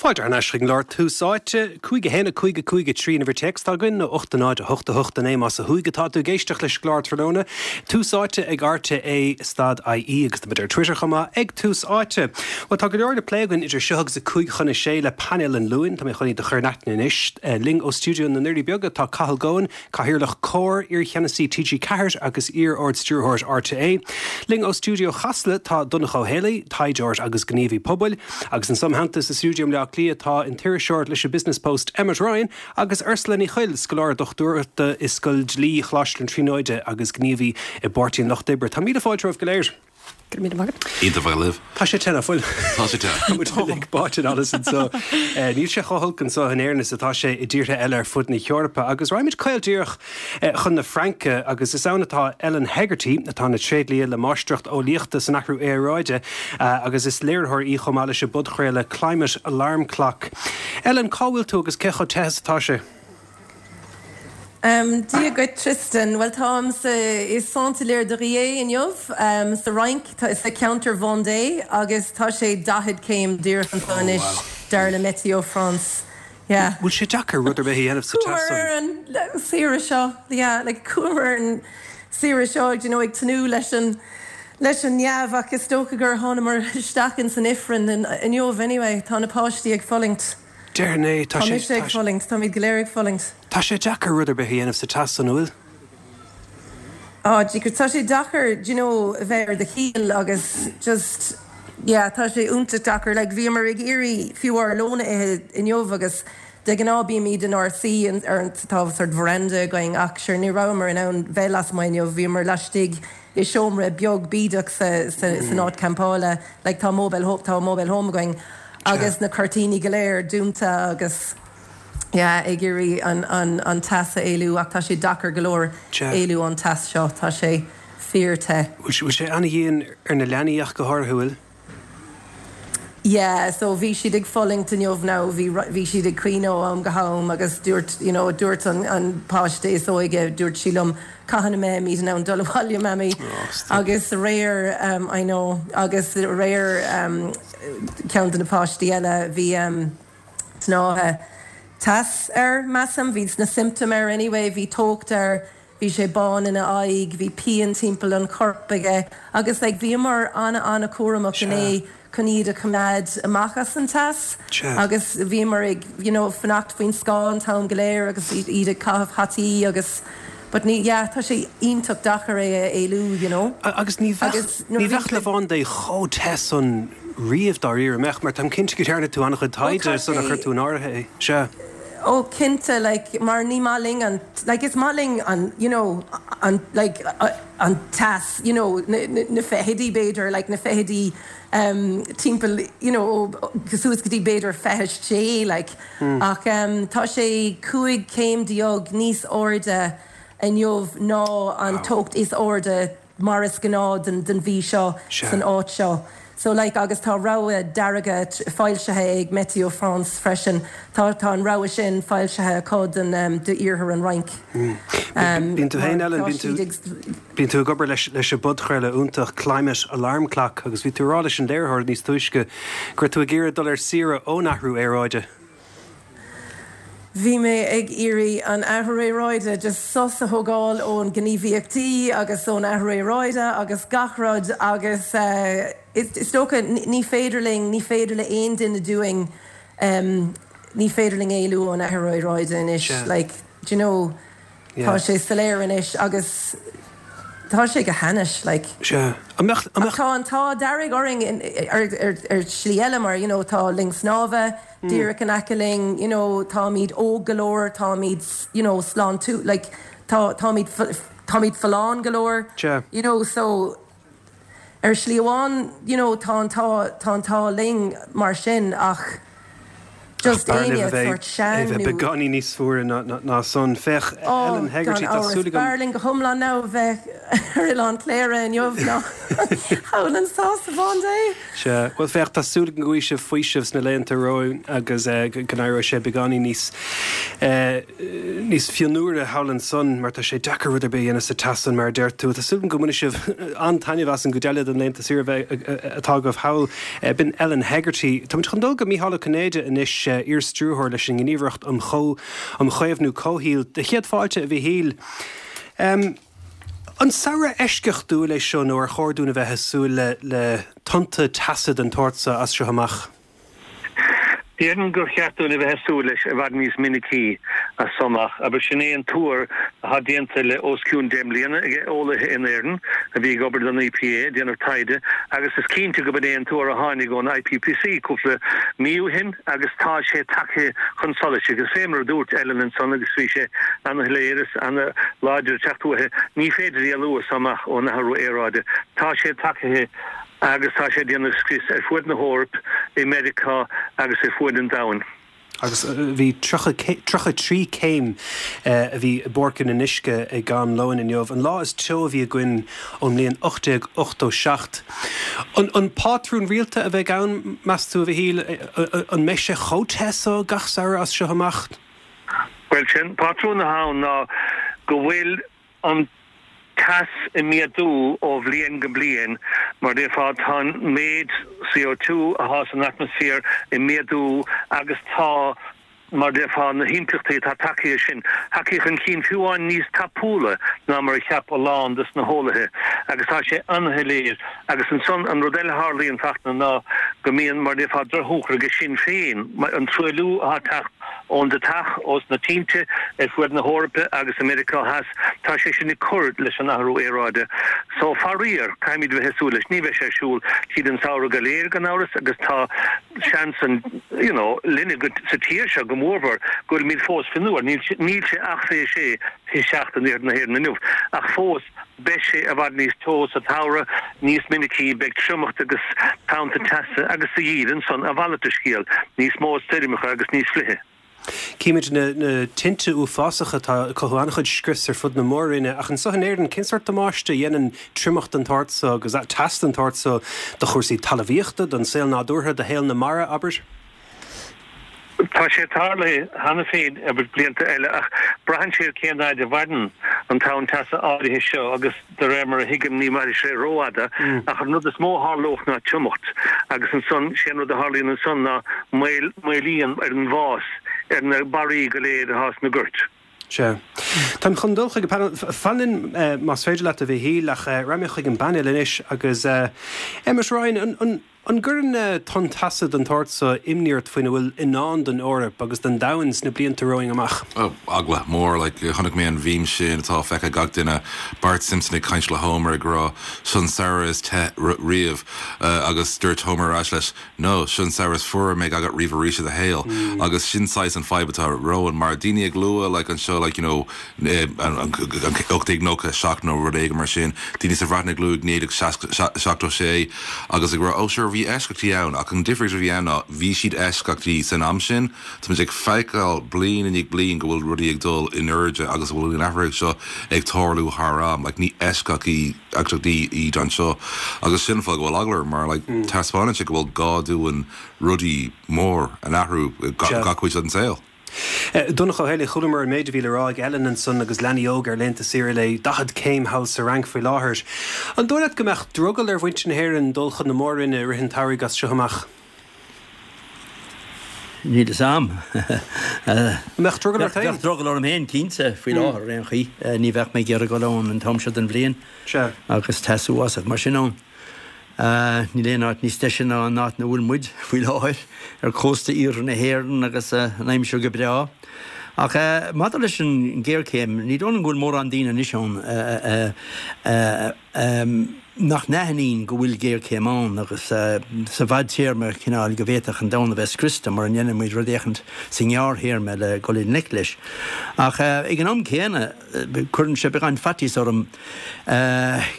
Fáilte thar n-ais chuig an gclár Tús Áite, 5 1 5 5 3 an uimhir téacs atá againn, nó 8 0 8 8 9 más ó thuaidh atá tú ag éisteacht leis an gclár tráthnóna. Tús Áite ag RTÉ stad IE agus tá muid ar Twitter chomh maith ag Tús Áite. Bhuel tá go leor le plé againn idir seo agus a 5 chun a 6 le painéal an Luain. Tá mé chun iad a chur in aithne anois. Linn ó stiúideo na nDoirí Beaga tá Cathal Goan, Cathaoirleach Comhar, iar-cheannasaí TG4 agus iar-Ard-Stiúrthóir RTÉ. Linn ó stiúideo Chasla tá Donncha Ó Héalaí, taighdeoir agus gníomhaí pobail. Agus anso im theannta sa stiúideo i mBleá Cliath tá an t-iriseoir leis an Business Post Emmet Ryan agus Ursula Ní Chuill, scoláire dochtúireachta i Scoil Dlí Choláiste na Tríonóide agus gníomhaí i bPáirtí an Lucht Oibre. Tá míle fáilte romhaibh go léir. Go raibh míle maith agat. Iontach bheith libh. Tá sé te, nach bhfuil? Tá sé te. Tá muid uilig báite in allas anseo. Níl sé chomh holc anseo in Éirinn is atá sé i dtíortha eile ar fud na hEorpa. Agus raghaimid caol díreach chun na Fraince agus is ann atá Ellen Hegarty, atá ina tréidlia le máistreacht eolaíochta san athrú aeráide agus is léiritheoir í chomh maith leis an bpodchraoladh Climate Alarm Clock. Ellen, cá bhfuil tú agus cé chomh te is atá sé? Dia dhuit Tristan. Bhuel táim sa i Saint-Hilaire-de-Riez inniu sa Fhrainc, sa cheantar Vendée agus tá sé 40 céim díreach anseo anois dar le Météo France. Yeah. Bhfuil sé deacair rud ar bith a dhéanamh sa teas Chuamar ar an saoire seo, yeah, like chuamar ar an saoire seo, do you know, ag tnúth leis an leis an neamh ach is dócha gur thánamar isteach ins an ifreann inniu anyway, tá na páistí ag fulaingt. Déarfainn é, tá sé, mise ag fulaingt, táimid go léir ag fulaingt. Tá sé deacair rud ar bith a dhéanamh sa teas san, an bhfuil? Á, tá sé deacair, do you know, a bheith ar do chiall agus just, yeah, tá sé iontach deacair. Like, bhíomar ag iarraidh fiú ár lón a ithe inniu agus de ghnáth bímid inár suí ar an, tá sort veranda againn ach sure ní rabhamar in ann bheith lasmuigh inniu, bhíomar laistigh i seomra beag bídeach sa, sa, san áit campála, like tá mobile home, tá mobile home againn. agus na cuirtíní go léir dúnta agus yeah ag iarraidh an an an teas a éalú ach tá sé deacair go leor éalú ón teas seo, tá sé fíor te. Bhfuil sé an-dhian ar na leanaí ach go háirithe, bhfuil? Yeah so bhí siad ag fulaingt inniu now, bhí bhí siad ag caoineadh ó am go ham agus dúirt you know dúirt an an páiste is óige dúirt sí liom Cathain a mbeimid in ann dul abhaile, Mamaí? Agus aréir, I know, agus aréir ceann de na páistí eile, bhí snáithe teas air, measaim, bhí na symptoms air anyway, bhí teocht air, bhí sé bán ina aghaidh, bhí pian timpeall an choirp aige agus like bhíomar an-an-chúramach inné chun iad a choimeád amach as an teas agus bhíomar ag you know fanacht faoin scáth an t-am go léir agus iad ag caitheamh hataí agus but ní yeah tá sé iontach deacair é a éalú you know. Agus ní bheadh ní bheadh La Vendée chomh te san riamh dáiríre, an mbeadh? Mar táim cinnte go ndearna tú an-chuid taighde sular chuir tú in áirithe é. Sea. Ó cinnte like mar ní maith linn an like is maith linn an you know an like an teas you know na na fichidí b'fhéidir like na fichidí em timpeall you know ó suas go dtí b'fhéidir 26 like ach em tá sé 15 céim níos airde inniu ná an teocht is airde mar is gnáth den den mhí seo san áit seo. So like agus tá rabhadh dearg foilsithe ag Météo France freisin. Tá tá an rabhadh sin foilsithe acu don um d'iarthar an Fhrainc. Um Bíonn tú féin Ellen, bíonn tú bíonn tú ag obair leis leis an bpodchraoladh iontach Climate Alarm Clock agus bhí tú ag rá leis an léiritheoir níos túisce go raibh tú ag iarraidh dul ar saoire ón athrú aeráide. Bhí mé ag iarraidh an athrú aeráide, just sos a thógáil ón gníomhaíochtaí agus ón athrú aeráide agus gach rud agus is dócha ní féidir linn, ní féidir le aon duine dúinn, ní féidir linn éalú ón athrú aeráide anois, like, do you know. Tá sé soiléir anois agus tá sé go hainnis, like. Sea. An mbeadh, an mbeadh. Ach tá an t-ádh dearg orainn ar, ar, ar shlí eile mar, you know, tá linn snámha díreach in aice linn, you know, táimid óg go leor, táimid, you know, sláintiúil, like, tá, táimid, táimid folláin go leor, you know, so ar shlí amháin, you know, tá an t-ádh, tá an t-ádh linn mar sin ach. Just éinne sórt sean nó. Beagáinín níos fuaire ná san. Féach, Ellen Hegarty, tá súil agam. B'fhearr linn go hiomlán now a bheith ar Oileán Chléire inniu ná thall anso sa Bhán Dé. Sea, bhuel féach, tá súil agam go bhfaighidh sibh faoiseamh sna laethanta romhainn agus go n-éireoidh sé beagáinín níos níos fionnuaire thall ansan mar tá sé deacair rud ar bith a dhéanamh sa teas san mar a deir tú. Tá súil agam go mbainfidh sibh an-taitneamh as an gcuid eile den laethanta saoire a bheidh atá agaibh thall. B'in Ellen Hegarty. Táimid chun dul go Mícheál Ó Cinnéide anois, iar-stiúrthóir leis an nGníomhaireacht um um Chaomhnú Comhshaoil. Do chéad fáilte, a Mhichíl. An samhradh eisceachtúil é seo nó ar chóir dúinn a bheith ag súil le le tonnta teasa den tsórt seo as seo amach? Déarfainn gur cheart dúinn a bheith ag súil leis i bhfad níos minicí as so amach. Abair, sin é an tuar atá déanta le os cionn 10 mbliana ag eolaithe in Éirinn a bhí ag obair don EPA ag déanamh taighde agus is cinnte go b'in é an tuar a tháinig ón IPPC cúpla mí ó shin agus tá sé tagtha chun solais agus fé mar a dúirt Ellen ansan agus bhí sé ana-shoiléir is ana-láidir ag teacht uaithi, ní féidir éalú as so amach ón athrú aeráide. Tá sé tagtha. agus tá sé ag déanamh scrios ar fuaid na hEoraip, i Meiriceá agus ar fuaid an domhain. Agus bhí 33 céim a bhí i bPáirc an Fhionnuisce ag am lóin inniu, an lá is teo a bhí againn ón mbliain 1887. An pátrún rialta a bheidh ann, meas tú, a Mhichíl? An mbeidh sé chomh te so gach samhradh as seo amach? Bhuel, sé'n pátrún atá ann ná go bhfuil an teas ag méadú ó bhliain go bliain, mar déarfá, tá an méid CO2 atá san atmaisféar ag méadú agus tá, mar déarfá, na himpleachtaí atá tagtha sin tagtha chun cinn fiú amháin níos tapúla ná mar a cheap a lán des na heolaithe agus tá sé an-shoiléir. Agus ansan an rud eile a tharlaíonn, Fachtna, ná go mbíonn, mar déarfá, drochthionchar aige sin féin, an truailliú atá ag teacht ón deatach, ós na tinte ar fuaid na hEorpa agus i Meiriceá Theas, tá sé sin ag cur leis an athrú aeráide. So, faraor, caithfimid bheith ag súil leis. Ní bheidh sé ar siúl tríd an samhradh go léir, gan amhras, agus tá seans an, you know, linne go, sa tír seo go mórmhór, go bhfuilimid fós fionnuar. Níl, níl sé ach 26, 27 in iarthar na hÉireann inniu, ach fós, beidh sé i bhfad níos teo sa tsamhradh, níos minicí, beidh triomacht agus tonnta teasa agus sa gheimhreadh ansan, a mhalairt de scéal, níos mó stoirmeacha agus níos fliche. Címid na tinte uafásacha atá ag cothú an-chuid scrios ar fud na mór-roinne, ach anseo in Éirinn, cén sórt damáiste a dhéanann triomacht den tsórt so agus teas den tsórt so do chúrsaí talmhaíochta, don saol nádúrtha, do shaol na mara, abair? Tá sé tarlaithe cheana féin abair blianta eile ach braitheann sé ar cén fhaid a mhaireann an tonn teasa áirithe seo agus de réir mar a thuigim ní mhairfidh sé rófhada ach an rud is mó a tharlódh ná triomacht agus ansan sé an rud a tharlaíonn ansan ná moill moillíonn ar an bhfás ar na barraí go léir atá sna goirt. Sea. Táim chun dul chuig an bpainéal. Fan linn más féidir leat a Mhichíl ach raghaidh mé chuig an bpainéal anois agus Emmet Ryan, an An gcuireann tonn teasa den tsórt so imní ort faoina bhfuil i ndán don Eoraip agus don domhan sna blianta romhainn amach? Oh, eagla mór. Like, chonaic mé an mhím sin atá feicthe ag gach duine, Bart Simpson ag caint le Homer ag rá, Seo an samhradh is te riamh. Agus dúirt Homer ar ais leis, No, seo an samhradh is fuaire a mbeidh agat riamh arís i do shaol. Agus sin saghas an fadhb atá romhainn, mar daoine ag lua, like, anseo, like, you know, 1897 nó rud éigin mar sin, daoine sa Bhreatain ag lua 1976 agus ag rá oh sure bhí eisceachtaí ann ach an difríocht a bhí ann ná bhí siad eisceachtaí san am sin, táimid ag feiceáil bliain i ndiaidh bliain go bhfuil rudaí ag dul in airde agus go bhfuil an athruithe seo ag tarlú thar am, like ní eisceachtaí iad anseo agus sin an fáth go bhfuil eagla orm mar like taispeánann sé go bhfuil gá dúinn rudaí mór a athrú i gach cuid den saol. Donncha Ó Héalaí, chualamar an méid a bhí le rá ag Ellen ansan agus leanaí óga ar laethanta saoire le 40 céim thall sa Fhrainc faoi láthair. An dóigh leat go mbeadh drogall ar mhuintir na hÉireann dul chun na mór-roinne i rith an tsamhraidh as seo amach? Níl fhios a'm. An mbeadh drogall ort féin? Bheadh drogall orm féin, cinnte, faoi láthair, ar aon chaoi. Ní bheadh mé ag iarraidh dul ann an t-am seo den bhliain agus teas uafásach mar sin ann. Níl aon áit níos deise ná an áit ina bhfuil muid faoi láthair, ar cósta iarthar na hÉireann agus an aimsir go breá. Ach maidir leis an ghéarchéim, ní dóigh liom go bhfuil mórán daoine anois ann a. nach n-aithníonn go bhfuil géarchéim ann agus sa bhfadtéarma cineál go bhféadfadh an domhan a bheith scriosta mura ndéanann muid rud éicint sa ngearrthéarma le dul i ngleic leis. Ach ag an am céanna cuireann sé beagán faitíos orm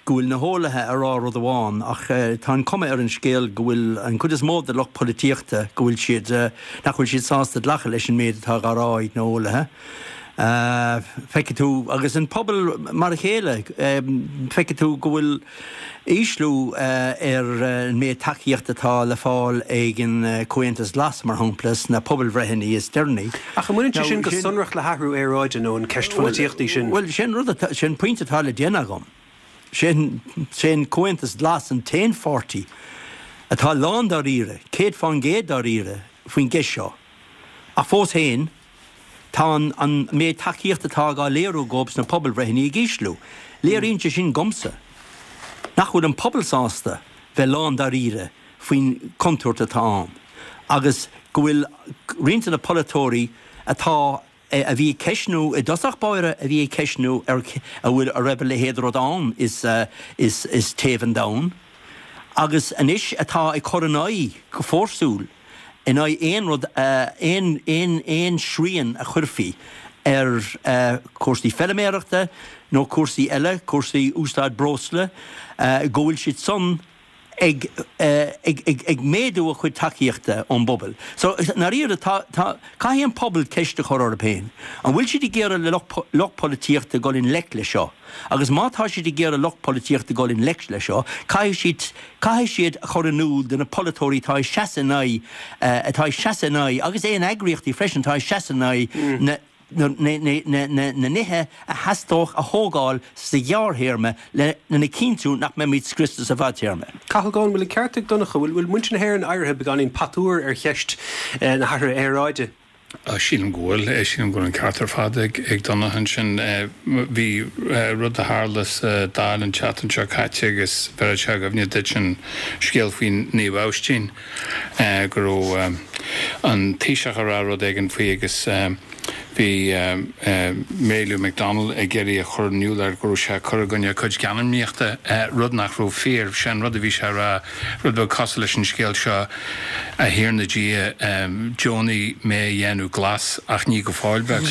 go bhfuil na heolaithe ag rá rud amháin ach tá an cuma ar an scéal go bhfuil an chuid is mó de lucht polaitíochta go bhfuil siad nach bhfuil siad sásta glacadh leis an méid atá á rá ag na heolaithe. Feicfidh tú, agus an pobal mar a chéile, feicfidh tú go bhfuil ísliú ar an méid tacaíochta atá le fáil ag an Comhaontas Glas, mar shampla, sna pobalbhreitheanna is deireanaí. Ach an mbaineann sé sin go sonrach le hathrú aeráide nó an ceist pholaitíochta í sin? Bhuel, sé an rud atá, sé an pointe atá le déanamh agam. Sé an Comhaontas Glas an t-aon pháirtí atá lándáiríre, 100% dáiríre, faoin gceist seo. Ach fós féin, Tá an méid tacaíochta atá á léiriú dhóibh sna pobalbhreitheanna ag ísliú. Léiríonn sé sin dhomsa nach bhfuil an pobal sásta bheith lándáiríre faoin chontúirt atá ann agus go bhfuil roinnt de na polaiteoirí atá a bhí ag ceistniú i dtosach báire a bhí ag ceistniú ar a bhfuil a raibh a leithéid de rud ann is is téamh an domhain agus anois atá ag cur in aghaidh go fórsúil in aghaidh aon rud, aon, aon, aon srian a chuirfí ar chúrsaí feiliméarachta nó cúrsaí eile, cúrsaí úsáid breosla, go bhfuil siad san ag, ag, ag, ag méadú a chuid tacaíochta ón bpobal. So, i ndáiríre, tá, tá, caithfidh an pobal ceist a chur orthu féin, an bhfuil siad ag iarraidh le lucht, lucht polaitíochta dul i ngleic le seo? Agus má tá siad ag iarraidh lucht polaitíochta dul i ngleic le seo, caithfidh siad, caithfidh siad a chur in iúl do na polaiteoirí atá ag seasamh in aghaidh, atá ag seasamh in aghaidh, agus aon eagraíochtaí freisin atá ag seasamh in aghaidh na, na, na, na, na, na nithe a theastódh a thógáil sa ghearrthéarma le, lena chinntiú nach mbeimid scriosta sa bhfadtéarma. Cathal Goan, bhfuil an ceart ag Donncha? Bhfuil, bhfuil muintir na hÉireann éirithe beagáinín patuar ar cheist na hathraithe aeráide? Sílim go bhfuil. Sílim go bhfuil an ceart ar fad ag Donncha ansin. Bhí rud a tharla sa Dáil an tseachtain seo caite agus bheirfeadh sé i gcuimhne duit an scéal faoi Naomh Abhaistín, go raibh an Taoiseach ag rá rud éigin faoi agus bhí Mary Lou McDonald ag iarraidh a chur in iúl air go raibh sé ag cur i gcoinne a cuid geanmnaíochta, rud nach raibh fíor. Sé an rud a bhí sé a rá, Rud beag cosúil leis an scéal seo, A Thiarna Dia, deonaigh mé a dhéanamh glas, ach ní go fóill beag.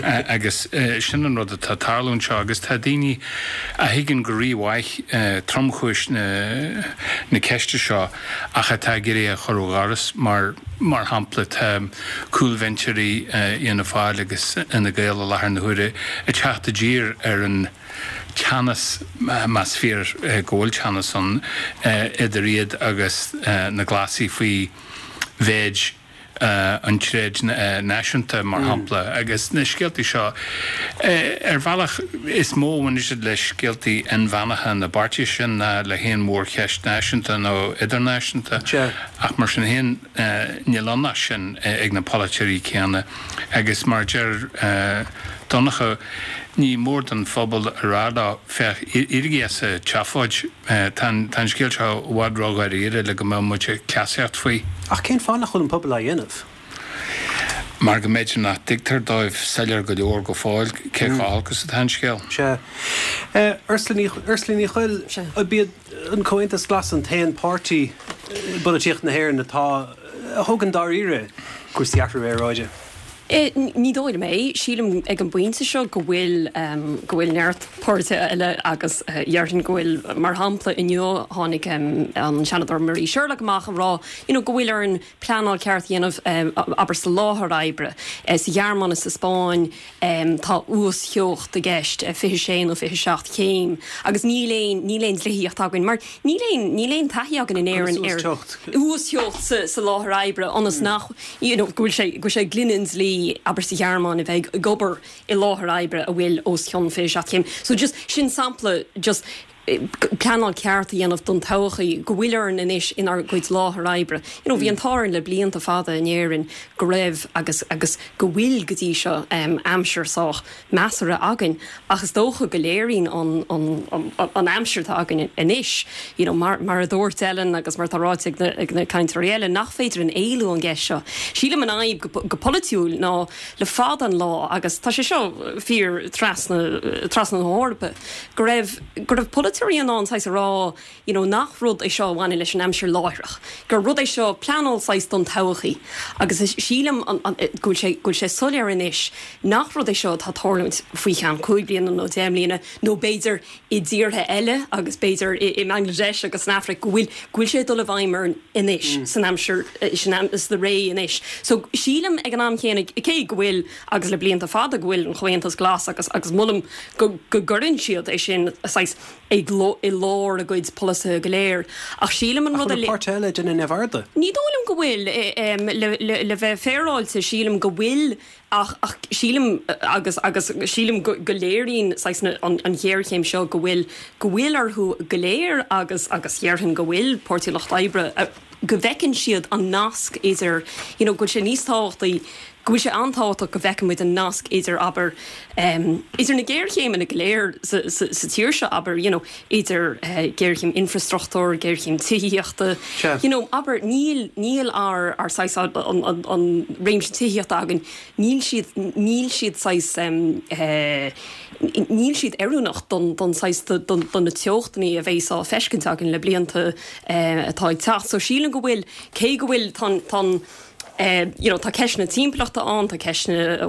Agus sin an rud atá ag tarlú anseo, agus tá daoine a thuigeann go rímhaith tromchúis na ceiste seo ach atá ag iarraidh é a chur ó dhoras. Mar mar shampla, tá cúlbhinseoirí Fhianna Fáil agus Fhine Gael i láthair na huaire ag teacht i dtír ar an teannas, más fíor go bhfuil teannas ann, idir iad agus na Glasaigh faoi mhéid an tréid náisiúnta, mar shampla. Agus na scéaltaí seo, ar bhealach, is mó a bhaineann siad le scéaltaí inmheánacha na bpáirtithe sin ná le haon mhórcheist náisiúnta nó idirnáisiúnta. Ach mar sin féin, níl ann ach sin ag na polaiteoirí céanna. Agus mar a deir Donncha, ní mór don phobal a rá leo, féach, éirígí as an tseafóid, tá an scéal seo i bhfad ródháiríre le go mbeadh muid ag cleasaíocht faoi. Ach cén fáth nach bhfuil an pobal á dhéanamh? Mar go mb'fhéidir nach dtuigtear dóibh soiléir go leor go fóill cé chomh holc is atá an scéal. Sea. Ursula Ní Chuill, ab iad an Comhaontas Glas an t-aon páirtí i bpolaitíocht na hÉireann atá, a thógann dáiríre cúrsaí athrú aeráide? Ní dóigh liom é. Sílim ag an bpointe seo go bhfuil, go bhfuil neart páirtithe eile agus déarfainn go bhfuil, mar shampla inniu tháinig an Seanadóir Marie Sherlock amach ag rá you know go bhfuil orainn pleanáil ceart a dhéanamh abair sa láthair oibre. Sa Ghearmáin is sa Spáinn tá uastheocht i gceist, 26 nó 27 céim agus níl aon, níl aon dlíthíocht againn mar níl aon, níl aon taithí againn in Éirinn ar uastheocht sa láthair oibre ionas nach you know, go bhfuil sé, go bhfuil sé i gcoinne an dlí, abair sa Ghearmáin, a bheith ag obair i láthair oibre a bhfuil os cionn 27 céim. So just, sin sampla just pleanáil ceart a dhéanamh don todhchaí, go bhfuil orainn anois inár gcuid láthair oibre. You know, bhí an t-ádh orainn le blianta fada in Éirinn go raibh agus, agus go bhfuil go dtí seo aimsir sách measartha againn ach is dócha go léiríonn an, an, an aimsir atá againn anois, you know, mar, mar a dúirt Ellen agus mar atá ráite ag na, ag na cainteoirí eile, nach féidir linn éalú ón gceist seo. Sílim an fhadhb go, go polaitiúil ná le fada an lá, agus tá sé seo fíor trasna, trasna na hEorpa, go raibh, go raibh polaiteoirí. polaiteoirí in ann saghas a rá you know nach rud é seo a bhaineann leis an aimsir láithreach, gur rud é seo pleanáil saghas don todhchaí agus sílim go bhfuil sé go bhfuil sé soiléir anois nach rud é seo atá ag tarlúint faoi cheann 5 bliana nó 10 mbliana nó b'fhéidir i dtíortha eile agus b'fhéidir i mBangladesh agus san Afraic go bhfuil go bhfuil sé ag dul i bhfeidhm orainn anois san aimsir sin sa ré anois. So sílim ag an am chéanna cé go bhfuil agus le blianta fada go bhfuil an Chomhaontas Glas agus agus molaim go go gcuireann siad é sin saghas ag i lár a gcuid polasaithe go léir. Ach sílim an Ach rud a bhfuil na páirtithe eile ag déanamh neamhaird de? Ní dóigh liom go bhfuil. Le le le bheith féaráilte sílim go bhfuil Ach, ach sílim, agus, agus sílim go, go léiríonn saghas na, an, an ghéarchéim seo go bhfuil, go bhfuil orthu go léir agus, agus dhéarfainn go bhfuil Páirtí an Lucht Oibre, go bhfeiceann siad an nasc idir, you know, go bhfuil sé níos tábhachtaí, go bhfuil sé an-tábhachtach go bhfeiceann muid an nasc idir, abair, idir na géarchéimeanna go léir sa, sa, sa tír seo, abair, you know, idir géarchéim infreastruchtúir, géarchéim tithíochta, you know, abair, níl, níl ár, ár saghas, an, an, an réimse tithíochta againn, níl siad, níl siad saghas, níl siad oiriúnach don, don saghas, don, do na teochtanna a bheas á feiscint againn le blianta atá ag teacht. So sílim go bhfuil, cé go bhfuil, tá an, tá an, you know, tá ceisteanna timpeallachta ann, tá ceisteanna a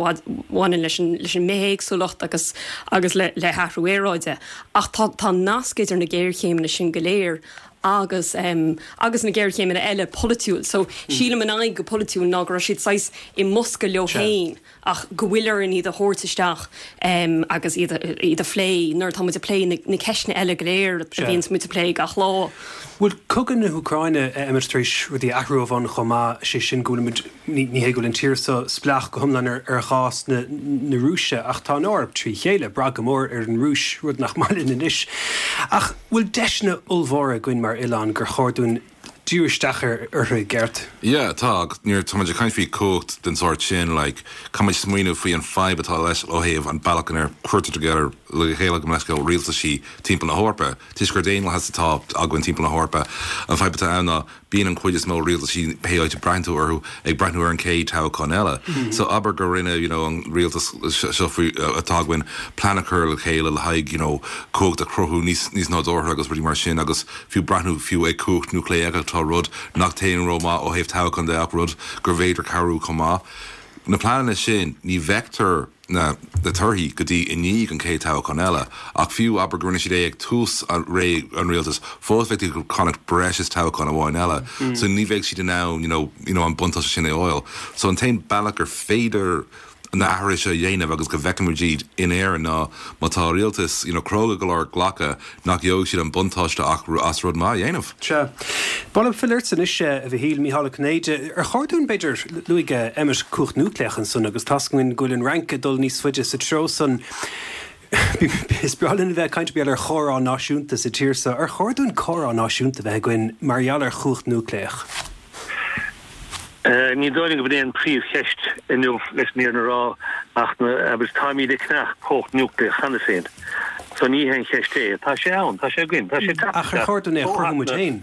bhaineann leis an, leis an mbithéagsúlacht agus, agus le, le hathrú aeráide, ach tá, tá nasc idir na géarchéimeanna sin go léir agus, agus na géarchéimeanna eile polaitiúil. So, sílim an fhadhb go polaitiúil ná go raibh siad saghas i mbosca leo féin. ach go bhfuil orainn iad a thabhairt isteach agus iad iad a phlé nuair atá muid ag plé na ceisteanna eile go léir a bhíonns muid ag plé gach lá. Bhfuil cogadh na hÚcráine, a Emmet, tar éis rudaí a athrú ó bhonn chomh maith, sé sin go bhfuil muid, ní hé go bhfuil an tír seo spleách go hiomlán ar ghás na Rúise ach tá an Eoraip trí chéile, ag brath go mór ar an Rúis, rud nach maith linn anois. Ach bhfuil deiseanna ollmhóra againn mar oileán gur chóir dúinn díriú isteach orthu i gceart. Yeah, tá, agus nuair atá muid ag caint faoi cumhacht den sórt sin, like, caithfidh muid smaoineamh faoi an fadhb atá leis ó thaobh an bealach inar cuirtear together le chéile gabh mo leithscéal rialtaisí timpeall na hEorpa. Toisc gur daonlathas atá againn timpeall na hEorpa, an fadhb atá ann ná bíonn an chuid is mó rialtaisí, pé áit a breathnaíonn tú orthu, ag breathnú ar an chéad toghchán eile. So abair gur rinne, you know, an rialtas seo faoi, atá againn, plean a chur le chéile le haghaidh, you know, cumhacht a chruthú níos, níos nádúrtha agus rudaí mar sin agus, fiú breathnú fiú ag cumhacht núicléach atá rud nach dtéann rómhaith ó thaobh toghchán de ach rud gur bhféidir cabhrú chomh maith. Na pleananna sin, ní bhfeictear na torthaí go dtí i ndiaidh an chéad toghchán eile ach fiú abair go rinne siad é ag tús ré an rialtais, fós bheadh siad ag fanacht breis is toghchán amháin eile so ní bheadh siad in ann you know you know an buntáiste sin a fháil. So an t-aon bealach gur féidir na hathruithe seo a dhéanamh agus go bhfeicfimid iad in Éirinn ná má tá rialtas you know cróga go leor glacadh nach gheobhaidh siad an buntáiste ach as rud maith a dhéanamh. Sea. Ba mhaith liom filleadh ortsa anois, a Mhichíl, Mícheál Ó Cinnéide. Ar chóir dúinn, b'fhéidir, luaigh Emmet cumhacht núicléach ansan agus tá's againn go bhfuil an Fhrainc ag dul níos faide sa treo san. Is breá linn a bheith ag caint mar gheall ar chomhrá náisiúnta sa tír seo. Ar chóir dúinn comhrá náisiúnta a bheith againn mar gheall ar chumhacht núicléach? Ní dóigh liom go b'in é an príomhcheist inniu, leis an fhírinne a rá, ach agus táimid ag ceannach cumhacht núicléach cheana féin, so ní hé an cheist é. Tá sé ann, tá sé againn, tá sé ag teacht Ach ar chóir dúinn é a chruthú muid féin?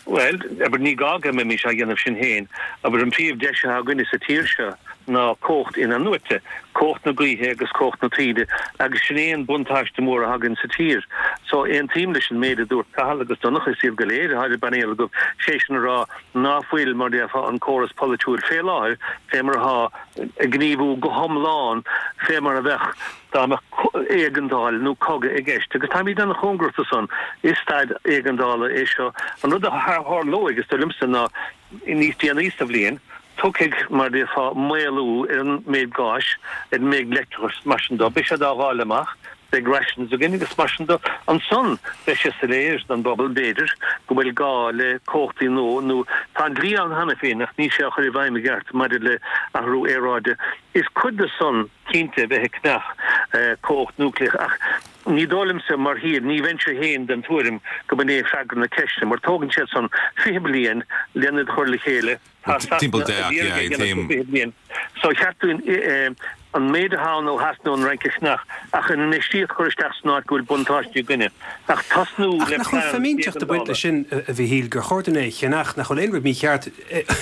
Bhuel, abair, ní gá go mbeimis á dhéanamh sinn féin. Abair, an príomh-deis atá againne sa tír seo ná cumhacht in-athnuaite, cumhacht na gaoithe agus cumhacht na taoide, agus sin é an buntáiste mór atá againn sa tír. So, aontaím leis an méid a dúirt Cathal agus Donncha, is iad go léir atá ar an bpainéal agaibh, sé sin a rá ná fuil, mar déarfá, an córas polaitiúil fé láthair fé mar atá, ag gníomhú go hiomlán fé mar a bheadh dá mbeadh éigeandáil nó cogadh i gceist. Agus táimid an-chóngarach do san. Is staid éigeandála é seo. An rud a tharlóidh, is dóigh liomsa, ná níos déanaí sa bhliain, tiocfaidh, mar déarfá, maolú ar an méid gáis, ar an méid leictreachais, mar sin de. Beidh sé á dháileadh amach, beidh rations againn agus mar sin de. Ansan beidh sé soiléir don bpobal, b'fhéidir, go bhfuil gá le cumhachtaí nua nó tá an dlí ann cheana féin ach níl sé á chur i bhfeidhm i gceart maidir le athrú aeráide. Is cuid de san, cinnte, bheith ag ceannach cumhacht núicléach ach ní dóigh liomsa, mar thír, ní bheinnse féin den tuairim go mb'in é freagra na ceiste mar tógann sé san 20 bliain lena chur le chéile. Tá Sasana ag iarraidh é a dhéanamh le 20 bliain. So cheart dúinn. an méid atá ann ó theas nó an Fhrainc a cheannach ach an infheistíocht a chur isteach san áit go bhfuil buntáistí againne. Ach tosnú Ach le nach bhfuil plean fimínteacht ag baint éigeandála. leis sin, a Mhichíl, gur chóir dúinn é a cheannach, nach bhfuil aon rud mícheart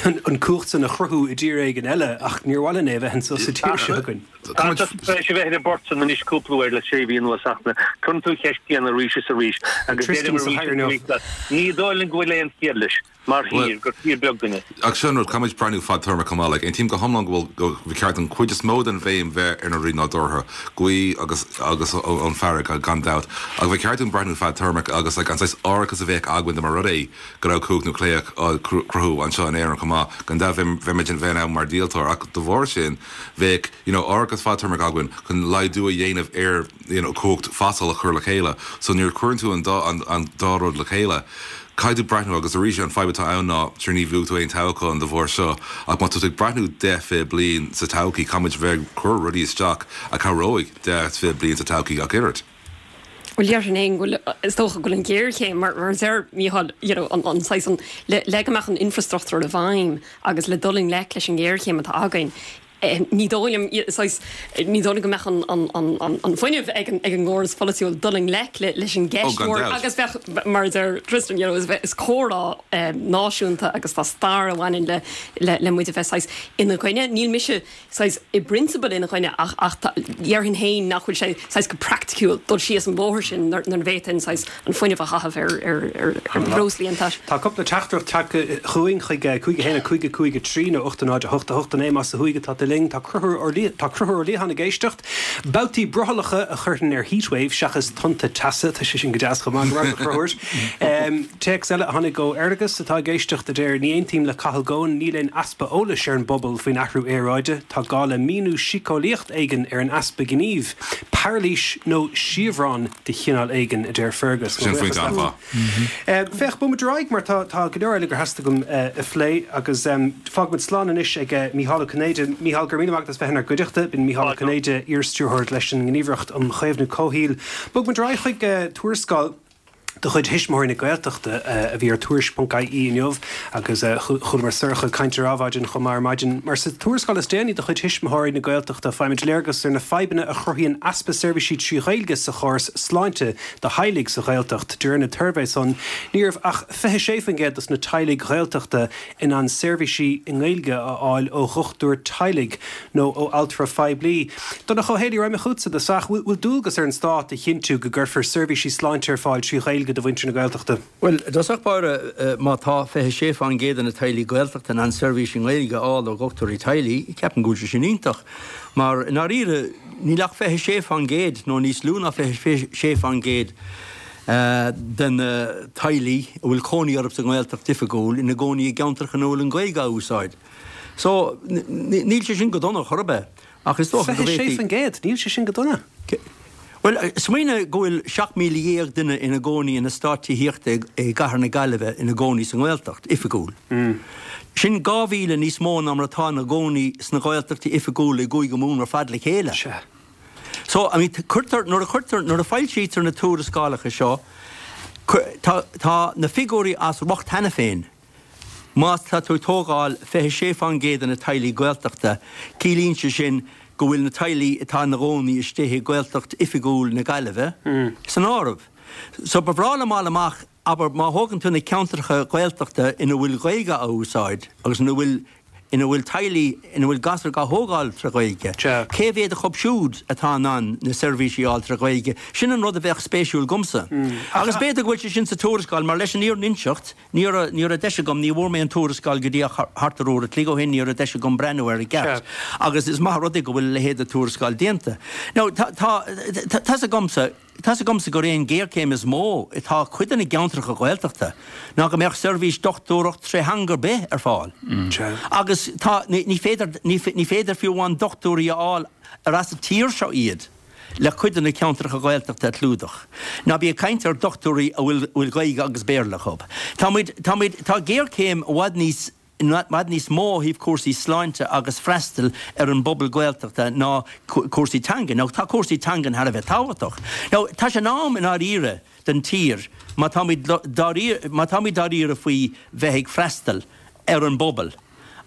an cumhacht san a chruthú i dtír éigin eile ach níor mhaith linn é a bheith anso sa tír seo againn. Tá tú tar éis a bheith ar an bport san anois cúpla uair le sé mhí anuas ach cuireann tú an cheist chéanna arís is arís agus Tristan deirim sa arís is chathaoir inniu. arís leat, ní dóigh liom go bhfuil aon chiall leis. Mar thír, gur tír beag dúinne. Ach sin an rud, caithfimid breathnú fadtéarmach chomh maith. Like, aontaím go hiomlán go bhfuil, go ba cheart an cuid is mó den bhéim bheith ar na rudaí nádúrtha, gaoth agus, agus ón bhfarraige, gan dabht. Ach ba cheart dúinn breathnú fadtéarmach agus like, an saghas árachas a bheadh againn dá mba rud é go raibh cumhacht núicléach á cruthú anseo in Éirinn chomh maith. Gan dabht bheadh, bheimid in, bheith in ann mar dhíoltóir ach de bharr sin bheadh, you know, árachas fadtéarmach againn chun laghdú a dhéanamh ar, you know, cumhacht fosail a chur le chéile. So nuair a chuireann tú an dá, an, an dá rud le chéile, Caithfidh tú breathnú, agus arís an fadhb atá ann ná, sure ní bhuafaidh tú aon toghchán de bharr seo, ach má tá tú ag breathnú 10, 20 bliain sa todhchaí, caithfimid bheith ag cur rudaí isteach a chabhróidh 10, 20 bliain sa todhchaí ach oiread. Bhuel, déarfainn féin go bhfuil, is dócha go bhfuil an ghéarchéim, mar a deir Mícheál, you know, an, an saghas, an, le, le go mbeadh an infrastruchtúr i bhfeidhm agus le dul i ngleic leis an ngéarchéim atá againn, Ní dóigh liom, saghas, ní dóigh liom go mbeadh an fuinneamh ag an gcóras polaitiúil dul i ngleic leis an gceist mhór agus bheadh, mar a deir Tristan, you know, is comhrá náisiúnta agus tá stair a bhaineann le le muid a bheith saghas ina gcoinne. Níl mise saghas i bprionsabal ina choinne ach ach déarfainn féin nach bhfuil sé saghas go praiticiúil dul síos an bóthar sin nuair a bhféadfainn saghas an fuinneamh a chaitheamh ar bhreoslaí iontaise. Tá cúpla teachtaireacht tagtha chugainn chuig 5 1 5 5 3 nó 8 0 8 8 9 más ó thuaidh atá tú linn. Tá Conchúr Ó Liatháin ag éisteacht. Babhtaí brothallacha a chuirfinn ar heatwave seachas tonnta teasa. Tá sé sin go deas chomh maith. Go raibh maith agat a Chonchúir. Téacs eile a tháinig ó Fhergus atá ag éisteacht a deir Ní aontaím le Cathal Goan, níl aon easpa eolais ar an bpobal faoin athrú aeráide. Tá gá le míniú síceolaíocht éigin ar an easpa gnímh. Pairilís nó siabhrán de chineál éigin, a deir Fergus. Sin pointe an-mhaith. Féach, bogfaimid ar aghaidh mar tá tá go leor eile gur theastaigh uaim a phlé agus fágfaimid slán anois ag Mícheál Ó Cinnéide. Mícheál, go raibh míle maith agat as bheith inár gcuideachta. B'in Mícheál Ó Cinnéide, iar-stiúrthóir leis an nGníomhaireacht um Chaomhnú Comhshaoil. Bogfaimid ar aghaidh chuig tuarascáil. de chuid Thuismitheoirí na Gaeltachta a bhí ar Tuairisc.ie inniu agus chualamar Sorcha ag caint ar Adhmhaidin chomh maith ar maidin. Mar sa tuarascáil is déanaí de chuid Thuismitheoirí na Gaeltachta faighimid léargas ar na fadhbanna a chruthaíonn easpa seirbhísí trí Ghaeilge sa chóras sláinte do theaghlaigh sa Ghaeltacht. De réir na suirbhé san ní raibh ach 26% dos na teaghlaigh Ghaeltachta in ann seirbhísí i nGaeilge a fháil ó dhochtúir teaghlaigh nó ó altra phoiblí. Donncha Ó Héalaí, raghaidh mé chugatsa i dtosach. Bhfuil dualgas ar an Stát a chinntiú go gcuirfear seirbhísí sláinte ar fáil trí Ghaeilge do mhuintir na Gaeltachta? Bhuel, i dtosach báire, má tá 26% de na teaghlaigh Gaeltachta in ann seirbhís i nGaeilge a fháil ó dhochtúirí teaghlaigh, ceapaim go bhfuil sé sin iontach. Mar, i ndáiríre, níl ach 26% nó níos lú ná 26% de na teaghlaigh a bhfuil cónaí orthu sa nGaeltacht oifigiúil ina gcónaí i gceantracha ina bhfuil an Ghaeilge á úsáid. So, níl sé sin go dona chor ar bith, ach is dócha go bhféadfaí. 26%? Níl sé sin go dona. Bhuel, smaoinigh go bhfuil 17,000 duine ina gcónaí in eastát tithíochta i gcathair na Gaillimhe ina gcónaí sa nGaeltacht oifigiúil. Sin 2,000 níos mó ná mar atá ina gcónaí sna Gaeltachtaí oifigiúla i gCúige Mumhan ar fad le chéile. Sea. So, I mean, cuirtear, nuair a chuirtear, nuair a foilsítear na tuarascálacha seo, tá, tá na figiúirí as riocht cheana féin. Má tá tú ag tógáil 26% de na teaghlaigh Gaeltachta, ciallaíonn sé sin go bhfuil na teaghlaigh atá ina gcónaí istigh i Gaeltacht oifigiúil na Gaillimhe san áireamh. So ba bhreá liom fháil amach, abair, má thógann tú na ceantracha Gaeltachta ina bhfuil Gaeilge á úsáid agus ina bhfuil ina bhfuil teaghlaigh ina bhfuil gasúir á thógáil tré Ghaeilge, cé mhéad acu siúd atá in ann na seirbhísí a fháil tré Ghaeilge? Sin an rud a bheadh spéisiúil dhomsa. Agus b'fhéidir go bhfuil sé sin sa tuarascáil, mar leis an fhírinne a inseacht, ní raibh, ní raibh deis agam, ní bhfuair mé an tuarascáil go dtí ach thart ar uair a chloig ó shin, ní raibh deis agam breathnú air i gceart. Agus is maith an rud é go bhfuil a leithéid de tuarascáil déanta. Now, tá, tá, tá's agamsa, Tá's agamsa gur é an ghéarchéim is mó atá ag cuid de na gceantracha Gaeltachta ná go mbeadh seirbhís dochtúireacht tré theanga ar bith ar fáil. Agus tá, ní féidir, ní féidir fiú amháin dochtúirí a fháil ar as an tír seo iad le cuid de na ceantracha Gaeltachta a chlúdach. Ná bí ag caint ar dochtúirí a bhfuil, bhfuil Gaeilge agus Béarla acu. Tá muid, tá muid, tá géarchéim i bhfad níos, i bhfad níos mó ó thaobh cúrsaí sláinte agus freastal ar an bpobal Gaeltachta ná cúrsaí teanga. Now tá cúrsaí teangan thar a bheith tábhachtach. Now tá sé in am i ndáiríre don tír má táimid dáiríre, má táimid dáiríre faoi bheith ag freastal ar an bpobal.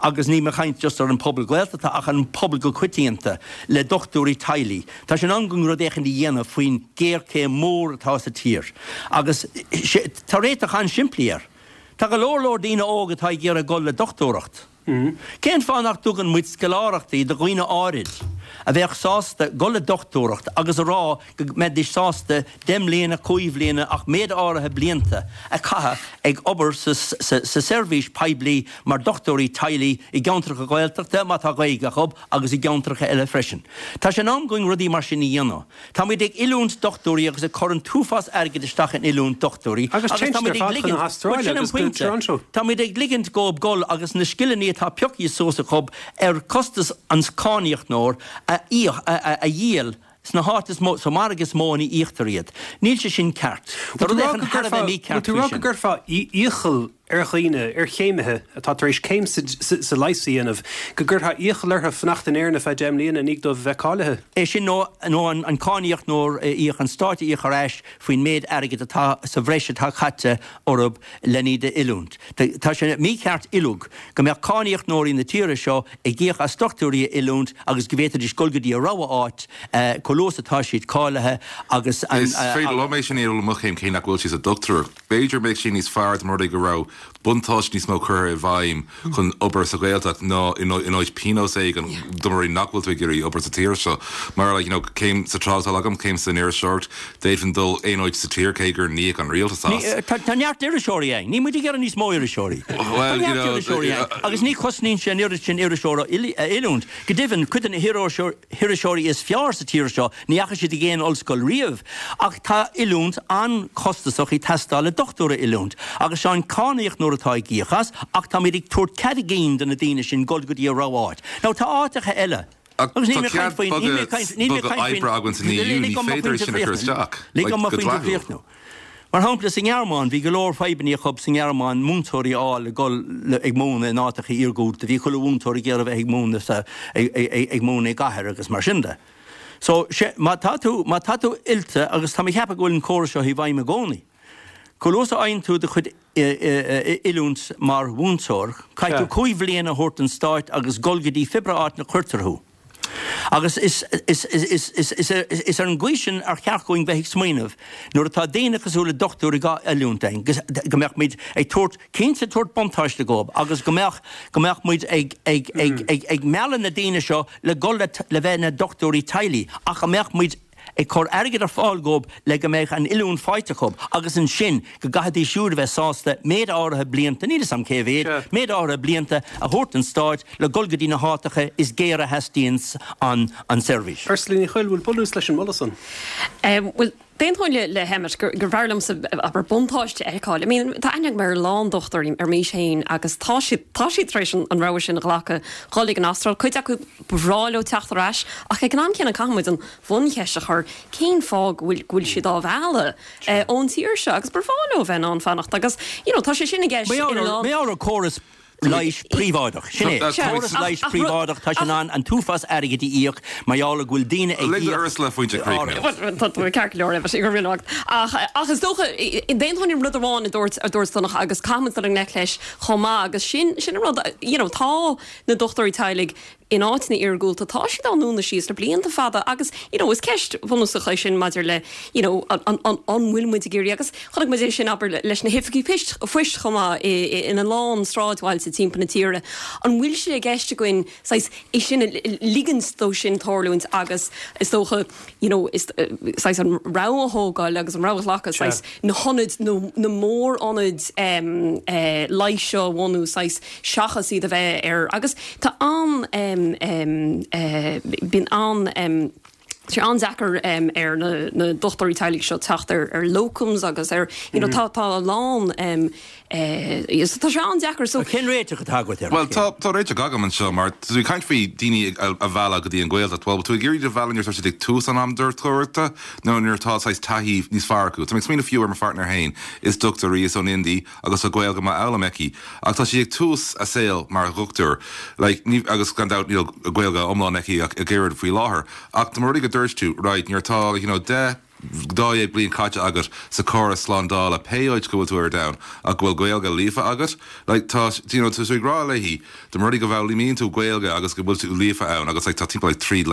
agus níl mé ag caint just ar an pobal Gaeltachta ach ar an pobal go coitianta, le dochtúirí teaghlaigh. Tá sé in am againn rud éicint a dhéanamh faoin géarchéim mór atá sa tír. Agus tá réiteach an-simplí air. Tá go leor leor daoine óga atá ag iarraidh dul le dochtúireacht. Cén fáth nach dtugann muid scoláireachtaí do dhaoine áirid a bheadh sásta dul le dochtúireacht agus a rá go mbeidís sásta 10 mbliana, 5 bhliana ach méid áirithe blianta a chaitheamh ag obair sa seirbhís poiblí mar dochtúirí teaghlaigh i gceantracha Gaeltachta má tá Gaeilge acu agus i gceantracha eile freisin. Tá sé in am againn rudaí mar sin a dhéanamh. Táimid ag oiliúint dochtúirí agus ag cur an t-uafás airgid isteach in oiliúint dochtúirí Agus agus téann siad táimid ar ag fad chun ligint, na bhuel hAstráile sin an agus go pointe, Toronto. táimid ag ligint dhóibh dul agus na scileanna atá pioctha suas acu ar chostas an cáiníocnóir a íoc, a dhíol sna háit is mó, sa margadh is mó ina íoctar iad. Níl sé sin ceart. Tá Bhfuil rud tú rá éicint go thar a gcuirfeá, bheith bhfuil mícheart tú faoi rá go sin. gcuirfeá iachall ar dhaoine, ar chéimithe atá tar éis céim sa leigheas a dhéanamh, go gcuirfeá iachall orthu fanacht in Éirinn ar feadh 10 mbliana i ndiaidh dóibh a bheith cáilithe? É sin nó nó an cáiníocnóir a íoc, an Stát a íoc ar ais faoin méid airgid atá sa bhreis atá caite orthu len iad a oiliúint. Tá sé mícheart uilig go mbeadh cáiníocnóirí na tíre seo ag íoc as dochtúirí a oiliúint agus go bhféadfaidís dul go dtí a rogha áit chomh luath is atá siad cáilithe agus an. Is féidir liom é sin a dhéanamh le mo chéim cé nach bhfuil sé sa dochtúireacht. B'fhéidir mbeadh sé níos fearr dá mba rud é go raibh buntáiste níos mó curtha i bhfeidhm chun obair sa Ghaeltacht ná in áit pionós éigin dá mba rud é nach bhfuil tú ag iarraidh obair sa tír seo. Mar like you know céim sa tráchtáil agam, céim san iriseoireacht, d'fhéadfainn dul aon áit sa tír cé gur n-íoc an rialtas as. Tá neart iriseoirí againn. Níl muid ag iarraidh níos mó iriseoirí. Tá neart iriseoirí againn agus ní chosnaíonn sé an oiread sin iriseoir a oiliúint. Go deimhin, cuid de na hiriseoirí is fearr sa tír seo, ní dheachaigh siad ag aon ollscoil riamh. Ach tá oiliúint an-chostasach ag teastáil le dochtúir a oiliúint. Agus sé an cáiníocnóir atá ag íoc as, ach táimid ag tabhairt cead a gcinn do na daoine sin dul go dtí a rogha áit. Now tá áiteacha eile. Ach Agus níl tá mé ag cead caint faoin, níl mé ag bogadh caint, níl mé ag bogadh caint faoin, oibre againn san EU, lig ní dom mo féidir é phointe sin a chur a chríochnú. isteach, Lig like dom mo go phointe a dleathúil. chríochnú. Mar shampla, sa nGearmáin, bhí go leor fadhbanna acu sa nGearmáin múinteoirí a fháil le dul ag múineadh in áiteacha iargúlta. Bhí chuile mhúinteoir ag iarraidh bheith ag múineadh sa, ag múineadh i gcathair agus mar sin de. So, sé, má tá tú, má tá tú oilte, agus tá mé ag ceapadh go bhfuil an córas seo i bhfeidhm i gcónaí, chomh luath is a fhaigheann tú do chuid oiliúint mar mhúinteoir, caithfidh tú 5 bhliain a thabhairt don stáit agus dul go dtí pé áit ina chuirtear thú. Agus is, is, is, is, is, is ar an gcaoi sin ar cheart dhúinn bheith ag smaoineamh nuair atá daoine cosúil le dochtúirí dhá oiliúint againn, go mbeadh muid ag tabhairt, cinnte tabhairt buntáiste dhóibh agus go mbeadh, go mbeadh muid ag, ag, ag, ag, ag mealladh na daoine seo le dhul le, le bheith ina dochtúirí teaghlaigh ach go mbeadh muid ag cur airgead ar fáil dhóibh le go mbeadh an oiliúint faighte acu agus ansin go gcaithfidís siúd a bheith sásta méid áirithe blianta, níl 'fhios a'm cé mhéad, méid áirithe blianta a thabhairt don stáit le dhul go dtí na háiteacha is géire a theastaíonns an an seirbhís. Ursula Ní Chuill, bhfuil bunús leis an moladh san? Bhuel, d'aontóinn le hEmmet gur bhfearr liomsa, abair, buntáiste a fheiceáil. I mean, tá aithne agam ar a lán dochtúirí ar m'aois féin agus tá siad, tá siad tar éis an rogha sin a ghlacadh, dhul ag an Astráil. Cuid acu, ba bhreá leo teacht ar ais ach ag an am céanna caithfidh muid an bhuncheist a chur, cén fáth go bhfuil, go bhfuil siad á mhealladh ón tír seo agus ba bhreá leo a bheith in ann fanacht agus, you know, tá sé sin i gceist in a lán. Mar gheall ar córas leighis príobháideach. Sin é. Córas leighis príobháideach, tá sé in ann an t-uafás airgid a íoc mar gheall ar go bhfuil daoine ag Lig íoc. Ursula pointe a chríochnú. Tá tú ceart go leor, Emmet, go raibh míle maith agat. Ach, ach is dócha, d'aontóinn an rud amháin a dúirt, a dúirt Donncha agus caithfidh muid dul i ngleic leis chomh maith agus sin, sin an rud, you know, tá na dochtúirí teaghlaigh in áiteanna iargúlta, tá siad á ndúnadh síos le blianta fada agus, you know, is ceist bhunúsach é sin maidir le, you know, an, an, an, an bhfuil muid ag iarraidh agus chonaic muid é sin, abair, leis na hoifigí poist, phoist chomh maith i, ina lán sráidbhailte timpeall na tíre. An bhfuil sé i gceist againn saghas é sin a ligint dó sin tarlúint agus is dócha, you know, is, saghas an rogha a thógáil agus an rogha a ghlacadh, saghas na hionaid, nó na mór-ionaid leighis seo a bhunú, saghas, seachas iad a bheith ar, agus tá an, bíonn an, tá sé an-deacair ar na dochtúirí teaghlaigh seo teacht ar ar locums agus ar, you know, tá tá a lán, tá sé an-deacair so. Cén réiteach atá agat air? Bhuel, tá tá réiteach agam anseo mar tá tú ag caint faoi daoine a mhealladh go dtí an Ghaeltacht. Bhuel, tú ag iarraidh iad a mhealladh nuair atá siad ag tús an am dochtúireachta nó nuair atá saghas taithí níos fearr acu. Tá mé ag smaoineamh fiú ar mo pháirtnéir féin. Is dochtúir í, is ón India agus tá Gaeilge maith á foghlaim aici ach tá sí ag tús a saol mar dhochtúir like ní agus gan dabht níl Gaeilge iomlán aici ach oiread faoi láthair ach dá mba rud é go dúirt tú right nuair atá like you know 10. 12 bliain caite agat sa chóras slándála, pé áit go bhfuil tú ar domhan, ach go bhfuil Gaeilge líofa agat, like tá, you know, tá tú ag rá léi, dá mba rud é go bhfoghlaimíonn tú Gaeilge agus go bhfuil tú líofa ann agus like tá timpeall like 13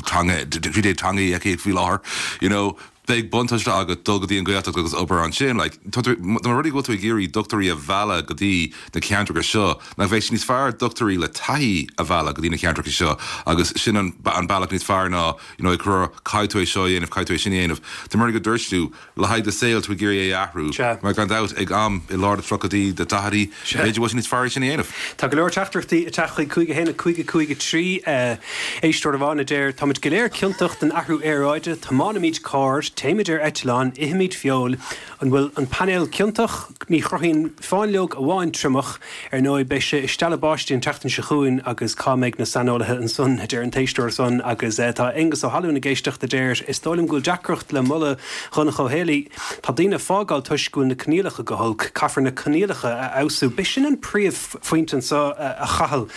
teanga, 13 teangaí aici faoi láthair, you know, beidh buntáiste agat dul go dtí an Ghaeltacht agus obair ansin. Like, tá tú, dá mba rud é go bhfuil tú ag iarraidh dochtúirí a mhealladh go dtí na ceantracha seo, nach bheadh sé níos fearr dochtúirí le taithí a mhealladh go dtí na ceantracha seo agus sin an, an bealach níos fearr ná, you know, ag rá caithfidh tú é seo a dhéanamh, caithfidh tú é sin a dhéanamh. Dá mba rud é go dúirt tú, le haghaidh do saoil, tú ag iarraidh é a athrú, mar gan dabht, ag am i lár do tríochaidí, do daichidí, b'fhéidir go bhfuil sé níos fearr é sin a dhéanamh. Tá go leor teachtaireachtaí ag teacht chuig 5 1 5 5 3. Éisteoir amháin a deir, Táimid go léir ciontach den athrú aeráide, tiomáinimid carr, téimid ar eitleán, ithimid feoil, An bhfuil an painéal ciontach? Ní chruthaíonn fáinleog amháin triomach. Ar ndóigh, beidh sé ag stealladh báistí an tseachtain seo chugainn agus cá mbeidh na saineolaithe ansan, a deir an t-éisteoir san. Agus tá Aengus Ó hAlmhain ag éisteacht a deir, Is dóigh liom go bhfuil deacracht le moladh Dhonncha Ó Héalaí. Tá daoine ag fágáil toisc go bhfuil na coinníollacha go holc. Caithfear na coinníollacha a fheabhsú. B'shin an príomhphointe anso, a Chathail,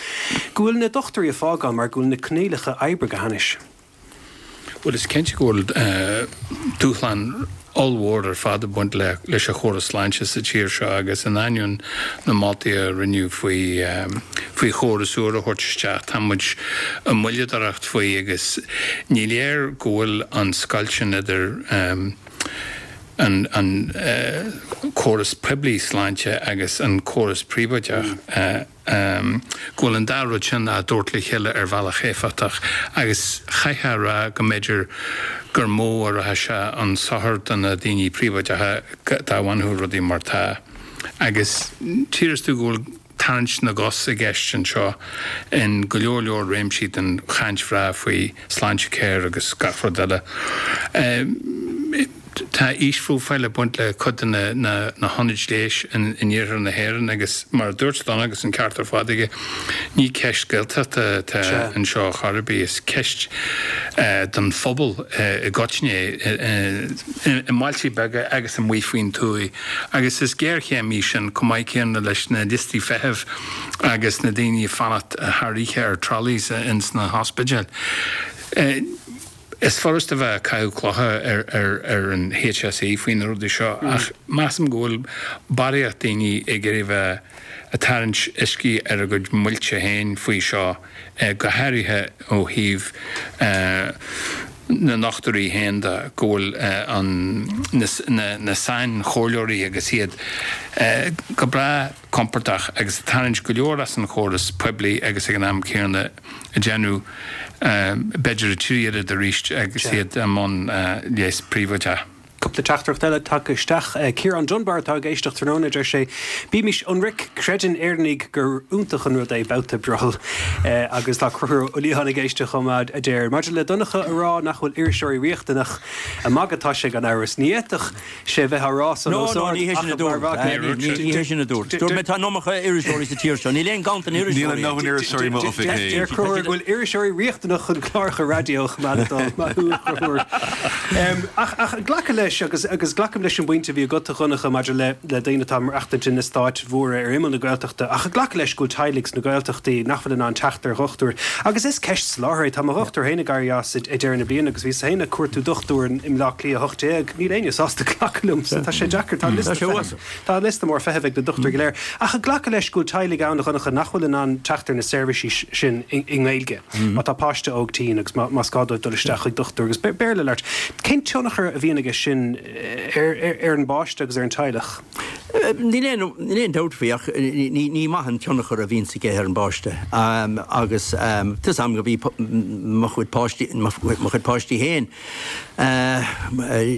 go bhfuil na dochtúirí ag fágáil mar go bhfuil na coinníollacha oibre go hainnis. Bhuel, is cinnte go bhfuil dúshlán ollmhór ar fad ag baint leis an chóras sláinte sa tír seo agus in ainneoin na moltaí a rinneadh faoi faoi chóras úr a thabhairt isteach, tá muid ag moilleadóireacht faoi agus ní léir go bhfuil an scoilt sin idir an an córas poiblí sláinte agus an córas príobháideach. go bhfuil an dá rud sin á dtabhairt le chéile ar bhealach éifeachtach agus chaithfeá a rá go mb'fhéidir gur mó a rachadh sé chun sochair do na daoine príobháideacha dá bhfanfadh rudaí mar tá. Agus tchífeas tú go bhfuil tarraingt na gcos i gceist anseo in go leor leor réimsí den chaint bhreá faoi Sláintecare agus gach rud eile. Tá aoisphróifíl ag baint le cuid de na hionaid leighis in iarthar na hÉireann agus mar a dúirt Donncha agus an ceart ar fad aige, ní ceist Gaeltachta atá anseo chor ar bith, is ceist don phobal i gcoitinne é, i mbailte beaga agus amuigh faoin tuath agus is géarchéim í sin chomh maith céanna leis na liostaí feithimh agus na daoine ag fanacht thar oíche ar trolleys ins na hospidéil. Is furast a bheith ag caitheamh clocha ar an HSE faoi na rudaí seo ach measaim go bhfuil barraíocht daoine ag iarraidh bheith ag tarraingt uiscí ar a gcuid muilte féin faoi seo, go háirithe ó thaobh na ndochtúirí féin de, go bhfuil na sainchomhairleoirí agus iad go breá compordach agus ag tarraingt go leor as an chóras poiblí agus ag an am céanna ag déanamh b'fhéidir a thrí oiread arís agus iad i mbun leigheas príobháideach. Cúpla teachtaireacht eile tagtha isteach. Ciarán Dunbar atá ag éisteacht tráthnóna, deir sé, Bímis ionraic, creideann Éireannaigh gur iontach an rud é babhta brothaill. Agus tá Conchúr Ó Liatháin ag éisteacht chomh maith, a deir, Maidir le Donncha a rá nach bhfuil iriseoirí riachtanach, ag magadh atá sé gan amhras. Ní fhéadfadh sé bheith á rá san os ard ach a mharbhadh. Ní hé sin a dúirt. Dúirt mé tá an iomarca iriseoirí sa tír seo. Níl aon ganntan iriseoirí. Níl a ndóthain iriseoirí i m'oifig féin. Deir Conchúr go bhfuil iriseoirí riachtanach chun cláracha raidió a choimeád ag dul. Maith thú, a Chonchúir. Ach glacadh leis, agus glacaim leis an bpointe a bhí agat, a Dhonncha, maidir le daoine atá ag maireachtaint in eastáit mhóra ar imeall na Gaeltachta, ach glacadh leis go bhfuil teaghlaigh sna Gaeltachtaí nach bhfuil in ann teacht ar dhochtúir. Agus is ceist soláthair é. Tá mo dhochtúir féin ag éirí as ag deireadh na bliana agus bhíos féin ag cuartú dochtúir i mBleá Cliath 18. Níl éinne sásta glacadh liom, so tá sé deacair. Tá liosta feithimh, tá liosta mór feithimh ag na dochtúirí go léir. Ach ag glacadh leis go bhfuil teaghlaigh ann, a Dhonncha, nach bhfuil in ann teacht ar na seirbhísí sin i nGaeilge, má tá páiste óg tinn agus más gá dóibh dul isteach chuig dochtúir agus Béarla a labhairt. Cén tionchar a bhíonn aige sin ar an bpáiste agus ar an teaghlach? Níl aon dabht faoi ach ní maith an tionchar a bhíonns aige ar an bpáiste agus tá 'fhios a'm go bhí mo chuid páistí, mo chuid páistí féin,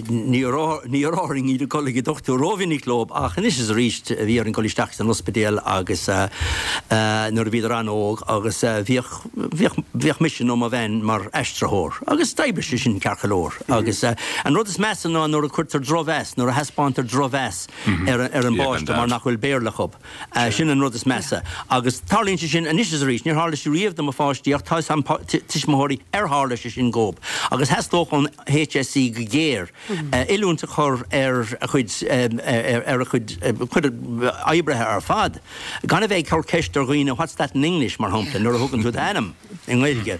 ní raibh orainn iad ag dul ag an dochtúir rómhinic leo ach anois is arís bhí orainn dul isteach san ospidéal agus nuair a bhíodar an-óg agus bhíodh, bhíodh, bhíodh mise nó mo bhean mar aistritheoir agus d'oibrigh sé sin ceart go leor agus an rud is measa ná nuair a cuirtear drochmheas, nuair a thaispeántar drochmheas ar. an bpáiste mar nach bhfuil Béarla acu. Sin an rud is measa. Agus tarlaíonn sé sin anois is arís. Níor tharla sé riamh do mo pháistí ach tá 'fhios a'm tuismitheoirí ar tharla sé sin dhóib. Agus theastódh ón HSE go géar oiliúint a chur ar a chuid ar a chuid cuid oibrithe ar fad gan a bheith ag cur ceist ar dhaoine what's that in English mar shampla nuair a thugann tú d'ainm i nGaeilge.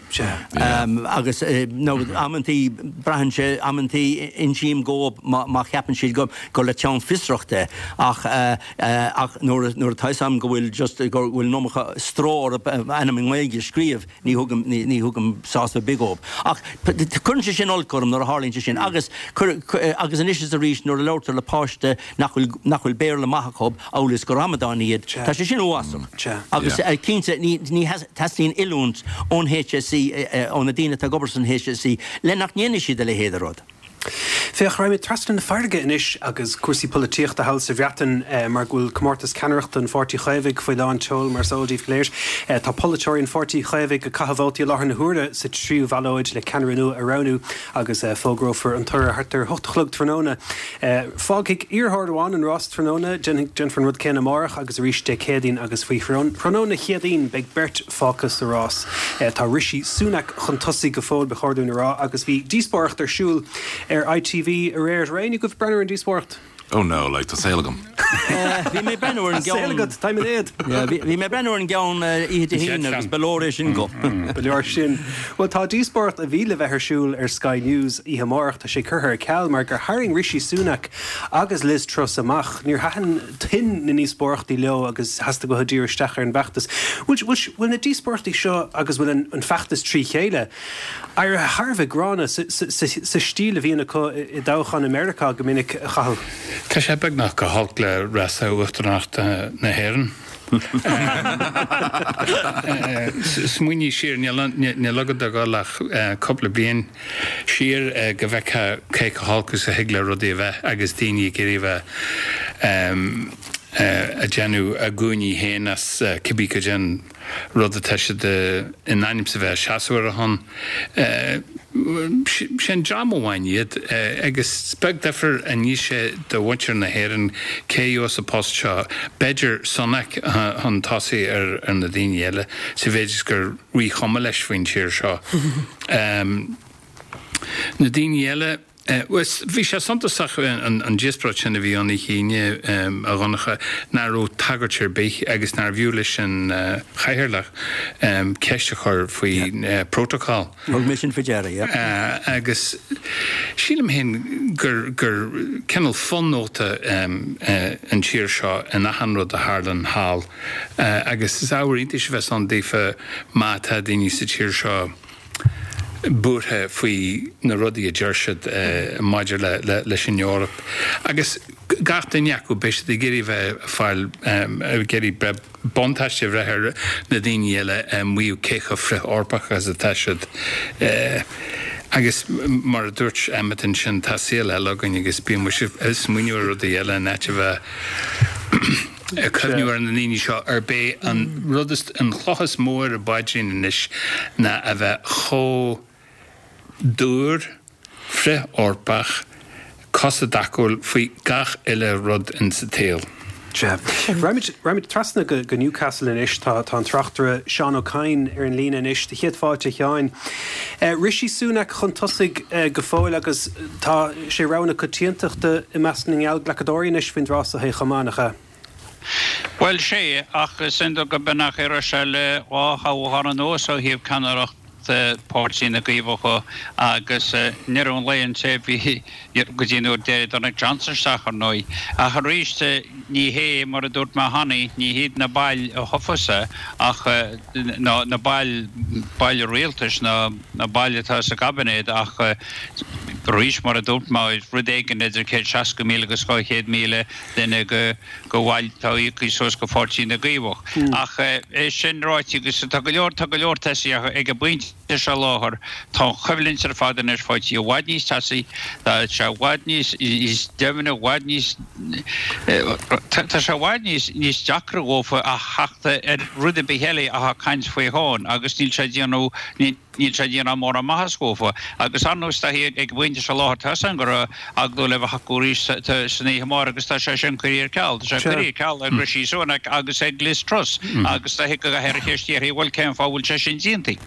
Agus nó amantaí braitheann sé amantaí insím dhóib má cheapann siad gur le teann fiosrachta é ach ach nuair nuair atá 'fhios a'm go bhfuil just go bhfuil an iomarca stró orthu ainm i nGaeilge a scríobh ní thugaim ní thugaim sásamh ar bith dhóibh. Ach cuireann sé sin olc orm nuair a tharlaíonn sé sin agus agus anois is arís nuair a labhartar le páiste nach bhfuil nach bhfuil Béarla maith acu amhail is gur amadáin iad, tá sé sin uafásach. Agus cinnte ní ní teastaíonn oiliúint ón HSE ó na daoine atá ag obair san HSE le nach ndéanfaidh siad a leithéid de rud. Féach, raghaimid trasna na farraige anois agus cúrsaí polaitíochta thall sa Bhreatain mar go bhfuil comórtas ceannaireachta an Pháirtí Chaomhaigh faoi lán tseoil, mar is eol daoibh go léir. Tá polaiteoirí an Pháirtí Chaomhaigh ag caitheamh vótaí i láthair na huaire sa tríú bhallóid le ceannaire nua a roghnú agus fógrófar an toradh thart ar a hocht a chlog tráthnóna. Fágfaidh iarrthóir amháin an rás tráthnóna, déanfar an rud céanna amárach agus arís Dé Céadaoin agus faoi thráthnóna Chéadaoin beidh beirt fágtha sa rás. Tá Rishi Sunak chun tosaigh go fóill, ba chóir dúinn a rá, agus bhí díospóireacht ar siúl ar ITV aréir. Raibh éinne agaibh ag breathnú ar an díospóireacht? Oh no, like, tá saol agam. Bhí mé ag breathnú ar an gceann. Saol agat, táim in éad. Bhí mé ag breathnú ar an gceann oíche Dé hAoine agus ba leor é sin dhom. Ba leor sin. Bhuel, tá díospóireacht a bhí le bheith ar siúl ar Sky News oíche amárach, tá sé curtha ar ceal mar gur tharraing Rishi Sunak agus Liz Truss amach. Níor thaitin tuin na ndíospóireachtaí leo agus theastaigh uathu díriú isteach ar an bhfeachtas. Bhfuil na díospóireachtaí seo agus bhfuil an feachtas trí chéile éirithe thar a bheith gránna sa stíl a bhíonn acu i dtoghcháin i Meiriceá go minic, a Chathail? Tá sé beagnach chomh holc le rása uachtaránachta na hÉireann. Smaoinigh siar, níl agat a dhul ach cúpla bliain siar go bhfeicfeá cé chomh holc is a thig le rudaí a bheith agus daoine ag iarraidh a bheith ag déanamh a gcúinní féin as cibé cad é an rud atá siad in ainm is a bheith ag seasamh ar a shon. Sé an dream amháin iad agus is beag difear a ní sé do mhuintir na hÉireann cé a gheobhas an post seo. B'fhéidir Sunak chun tosaigh ar na daoine eile sa mhéid is gur ríchuma leis faoin tír seo. Na daoine eile. Bhí sé suntasach an díospóireacht sin a bhí ann oíche Aoine, a Dhonncha, nach raibh tagairt ar bith agus nárbh fhiú leis an chathaoirleach ceist a chur faoi protocol. Thug mé sin faoi deara, yeah. Agus sílim féin gur gur cineál fonóta an tír seo in achan rud a tharlann thall agus is ábhar iontais a bheas ann daofa má tá daoine sa tír seo buartha faoi na rudaí a deir siad maidir leis an Eoraip. Agus gach duine acu, beidh siad ag iarraidh bheith ag fáil, ag iarraidh breith, buntáiste a bhreith ar na daoine eile ag maíomh cé chomh frith-Eorpach is atá siad. Agus mar a dúirt Emmet ansin, tá saol eile againn agus bíonn muid ag smaoineamh ar rudaí eile in áit a bheith. ag cuimhniú ar na daoine seo arb é an rud is, an chloch is mó ar a bpaidrín anois ná a bheith chomh dúr, frith-Eorpach, cosa i dtacúil faoi gach uile rud in sa tsaol. Sea. Raghaimid, raghaimid trasna go, go Newcastle anois. Tá, tá an tráchtaire Seán Ó Cadhain ar an líne anois. Do chéad fáilte, a Sheáin. Rishi Sunak chun tosaigh go fóill agus tá sé rogha na coitiantachta i measc na ngeallghlacadóirí anois faoin dtráth so chomh maith, nach ea? Bhuel, sea, ach is iondúil go b'in a raibh sé le dhá thoghchán anuas ó thaobh ceannaireacht Páirtí na gCaomhach dhe agus i ndeireadh an lae an té a bhí go dtí nuair a d'éirigh Dominic Johnson isteach, ar ndóigh. Ach arís, ní hé, mar a dúirt mé cheana, ní hiad na baill a thoghfas é ach na baill, baill rialtais, na baill atá sa gcaibinéad ach arís, mar a dúirt mé, rud éigin idir 160,000 agus 200,000 duine de bhaill atá íoctha suas go Pháirtí na gCaomhach. Ach é sin ráite, agus tá go leor, tá go leor tosaithe ag an bpointe. seo i láthair, tá an choimhlint ar fad anois faighte i bhfad níos teasaí, tá sé i bhfad níos doimhne, i bhfad níos, tá sé i bhfad níos, níos deacra dhófa a theacht ar rud ar bith eile atá caint faoi thonn agus níl sé ag déanamh, níl sé ag déanamh mórán maitheas dhófa. Agus ar ndóigh, tá ag an bpointe seo i láthair, tá 'fhios a'm go raibh agallamh le bheith acu arís san oíche amárach agus tá sé sin curtha ar ceal. Tá sé curtha ar ceal ag Rishi Sunak agus ag Liz Truss agus tá go gcaithfear an cheist a iarraidh, bhuel cén fáth a bhfuil sé sin déanta?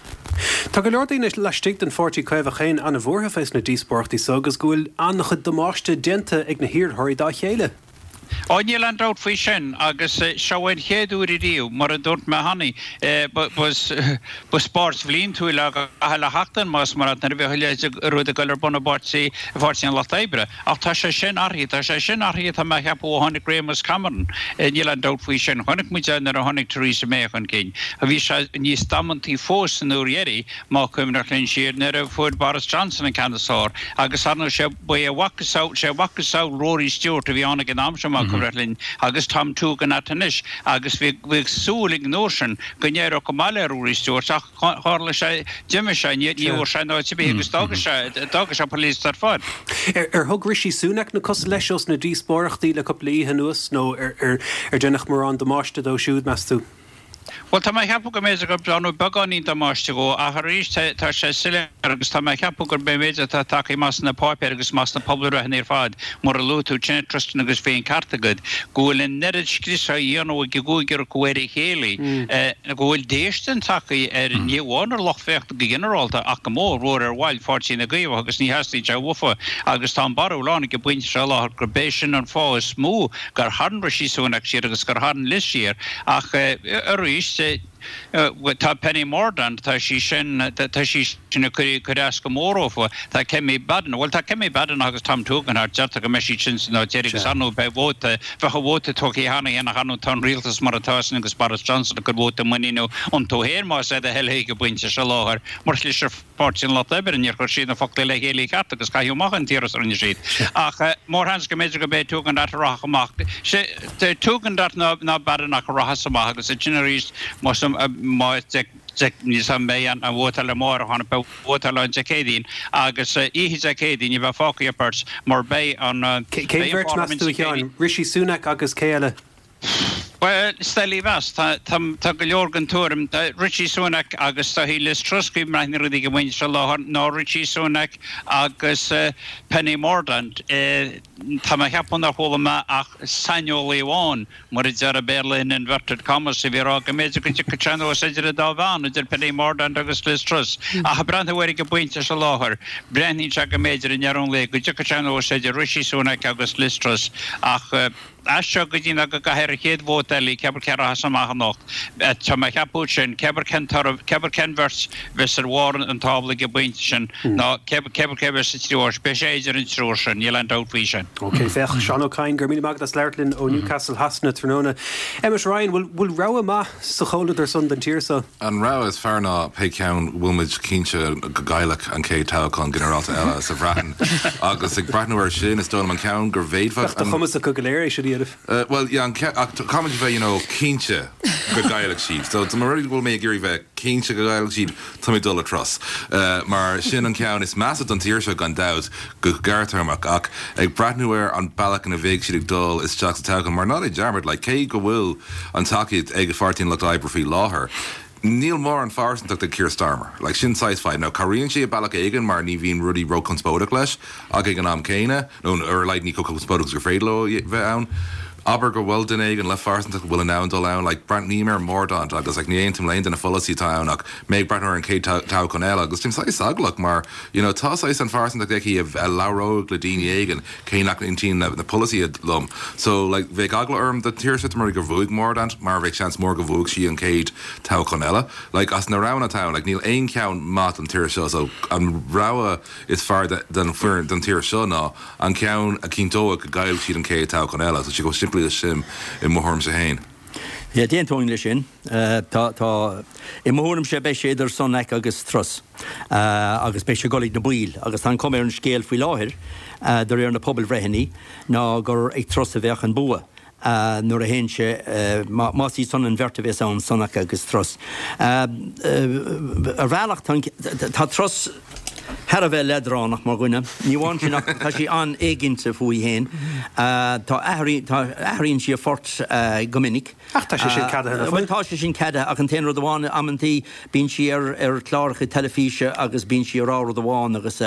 Tá go leor daoine laistigh den Pháirtí Caomhach féin an-bhuartha fés na díospóireachtaí so agus go bhfuil an-chuid damáiste déanta ag na hiarrthóirí dá chéile. Ó, níl aon dabht faoi sin, agus seo é an chéad uair ariamh, mar a dúirt mé cheana, ba spórt bhliantúil é gach uile sheachtain, más mar nuair a bhíodh a leithéid de rud ag dul ar bun i bPáirtí, i bPáirtí an Lucht Oibre. Ach tá sé sin athraithe, tá sé sin athraithe, tá mé a cheapadh, ó tháinig réimeas Cameron, níl aon dabht faoi sin. Chonaic muid é nuair a tháinig Theresa May chun cinn. Bhí sé níos damantaí fós an uair dheiridh, má cuimhneach linn siar, nuair a fuair Boris Johnson an ceann is fearr, agus ar ndóigh sé, Ba é a mhacasamhail, sé a mhacasamhail Rory Stewart a bhí ann ag an am sin, má cuimhneach linn, agus Tom Tugendhat anois, agus bhí, bhíodh súil ag an uair sin go n-éireodh go maith le Rory Stewart ach tharla sé, d'imigh sé, ní, ní bhfuair sé an áit ar bith agus d'fhága sé, d'fhága sé an pholaitíocht ar fad. Ar, ar thug Rishi Sunak na cosa leis ós na díospóireachtaí le cúpla oíche anuas nó ar, ar, ar deineadh mórán damáiste dó siúd, meas tú? Bhuel, tá mé a cheapadh go mb'fhéidir gur déanadh beagáinín damáiste dhó, ach arís, tá sé soiléir agus tá mé a cheapadh gurb é an méid atá tagtha amach sna páipéir agus amach sna pobalbhreitheanna ar fad, mar a luaigh tú ansin, Tristan, agus bhí an ceart agat, go bhfuil an oiread scriosa á dhéanamh ag an gcúigear acu ar a chéile, go bhfuil déistin tagtha ar, ní amháin ar lucht féachana go ginearálta, ach go mór mhór ar bhaill Pháirtí na gCaomhach agus ní theastaíonn sé uafa agus tá an barúil ann ag an bpointe seo i láthair gurb é sin an fáth is mó gur tharraing Rishi Sunak siar agus gur tharraing Liz siar ach arís tá Penny Mordaunt, tá sí sin, tá sí sin ag cur as go mór dhófa, tá Kemi Badenoch, bhuel tá Kemi Badenoch agus Tom Tugendhat, deirtear go mbeidh siad sin san áit deiridh agus ar ndóigh beidh vóta, bheadh a vóta tugtha cheana féin ach ar ndóigh tá an rialtas mar atá sin agus Boris Johnson ag cur vóta muiníne iontu féin más é do thoil é ag an bpointe seo i láthair mar chlis ar Páirtí an Lucht Oibre, níor chuir siad na foclaí le chéile i gceart agus caitheadh amach an t-iarratas a rinne siad. Ach mórsheans go mb'fhéidir gurb é Tugendhat a rachadh amach. Sé Tugendhat ná Badenoch a rachas amach agus ansin arís más níos an mbeidh an vótáil amárach ann, beidh vótáil ann Dé Céadaoin agus oíche Dé Céadaoin ní bheidh fágtha ach beirt mar beidh an Cén bheirt meas tú a Sheáin? Rishi Sunak agus cé eile? Bhuel, is doiligh a mheas. Tá go leor den tuairim, Rishi Sunak agus tá Liz Truss ag breathnú ar rudaí ag an bpointe seo i láthair, ná Rishi Sunak agus Penny Mordaunt. Tá mé a cheapadh nár chuala mé ach saineolaí amháin, mar a deir an Béarla in inverted commas, a bhí ag rá go mb'fhéidir go dtiocfadh sé anuas idir an dá bhean, idir Penny Mordaunt agus Liz Truss. Ach ag breathnú air ag an bpointe seo i láthair, breathnaíonn sé go mb'fhéidir i ndeireadh an lae go dtiocfadh sé anuas idir Rishi Sunak agus Liz Truss. Ach. As seo go dtí ná go gcaithfear an chéad vóta eile, cé acu cé a rachas amach anocht. Tá mé a cheapadh sin, cé acu cén toradh, cé acu cén bheirt a bheas ar bharr an tábla ag an bpointe sin, ná cé acu cé a bheas sa tríú háit. Beidh sé idir an triúr sin, níl aon dabht faoi sin. Ok, féach, Seán Ó Cadhain, go raibh míle maith agat as labhairt linn ó Newcastle Shasana tráthnóna. Emmet Ryan, bhfuil, bhfuil rogha maith sa chomhluadar san don tír so? An rogha is fearr ná pé ceann a bhfuil muid cinnte go gcaillfeadh an chéad toghchán ginearálta eile sa Bhreatain. Agus ag breathnú air sin, is dóigh liom an ceann go bhféadfadh Bheadh de chumas acu go léir é sin a dhéanamh. Bhuel, yeah, an ceann, ach caithfimid a bheith, you know, cinnte go gcaillfidh siad. So, dá mba rud é go bhfuil mé ag iarraidh bheith cinnte go gcaillfidh siad, tá mé ag dul le Truss. Mar sin an ceann is measa don tír seo gan dabht, go gearrthéarmach. Ach ag breathnú ar an bealach ina bheidh siad ag dul isteach sa toghchán, mar ná déan dearmad, like, cé go bhfuil an tacaíocht ag Pháirtí an Lucht Oibre faoi láthair, níl mórán phearsantacht ag Keir Starmer. Like, sin saghas fadhb. Now, cabhraíonn sé i bealach éigin mar ní bhíonn rudaí róchonspóideach leis, ach ag an am céanna, nó ar a laghad ní chomh conspóideach is gur féidir leo bheith ann. Abair go bhfuil duine éigin le phearsantacht a bhfuil in ann dul ann, like, breathnaím ar Mordaunt agus, like, ní aontaím le aon de na pholasaí atá ann ach mé ag breathnú ar an chéad toghchán eile agus táim saghas eaglach mar, you know, tá saghas an phearsantacht aici a labhródh le daoine éigin cé nach n-aontaíonn na polasaithe liom. So, like, bheadh eagla orm do tír seo dá mba rud é gur bhuaigh Mordaunt mar bheadh seans mór go bhuafadh sí an chéad toghchán eile. Like, as na roghanna atá ann, like, níl aon cheann maith don tír seo so an rogha is fearr don foireann don tír seo ná an ceann a chinnteoidh go gcaillfidh siad an chéad toghchán eile. Tá sé chomh simplí leis sin i mo thuairimse féin. Yeah, d'aontóinn leis sin. Tá, tá, i mo thuairimse beidh sé idir Sunak agus Truss agus beidh sé ag dul ag na baill agus tá an chuma ar an scéal faoi láthair, de réir na pobalbhreitheanna, ná gur ag Truss a bheadh an bua. Nuair a théann sé, más iad san an bheirt a bhéas ann, Sunak agus Truss. Ar bhealach tá Truss thar a bheith leadránach mar dhuine. Ní amháin sin ach tá sí an-éiginnte fúithi féin. Tá athraíonn sí a phort go minic. Ach tá sé sin ceadaithe, nach bhfuil? Bhuel, tá sé sin ceadaithe ach an t-aon rud amháin, amantaí bíonn sí ar ar chláracha teilifíse agus bíonn sí ag rá rud amháin agus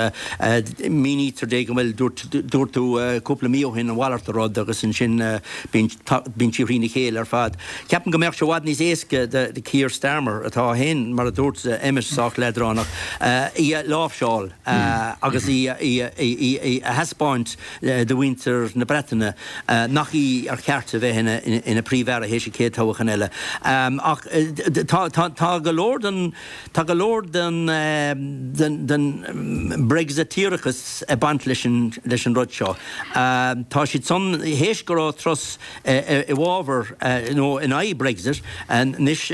mínítear di go bhfuil, dúirt, dúirt tú cúpla mí ó shin a mhalairt de rud agus ansin bíonn, bíonn sí thrína chéile ar fad. Ceapaim go mbeadh sé i bhfad níos éasca do Keir Starmer, atá féin, mar a dúirt Emmet, sách leadránach, í a láimhseáil agus í a, í a, í a, í a thaispeáint do mhuintir na Breataine nach í ar cheart a bheith ina Príomh-Aire théis an chéad toghchán eile. Ach tá go leor den tá go leor den den Brexiteerachas ag baint leis an leis an rud seo. Tá siad san théis go raibh Truss i bhfabhar nó in aghaidh Brexit, anois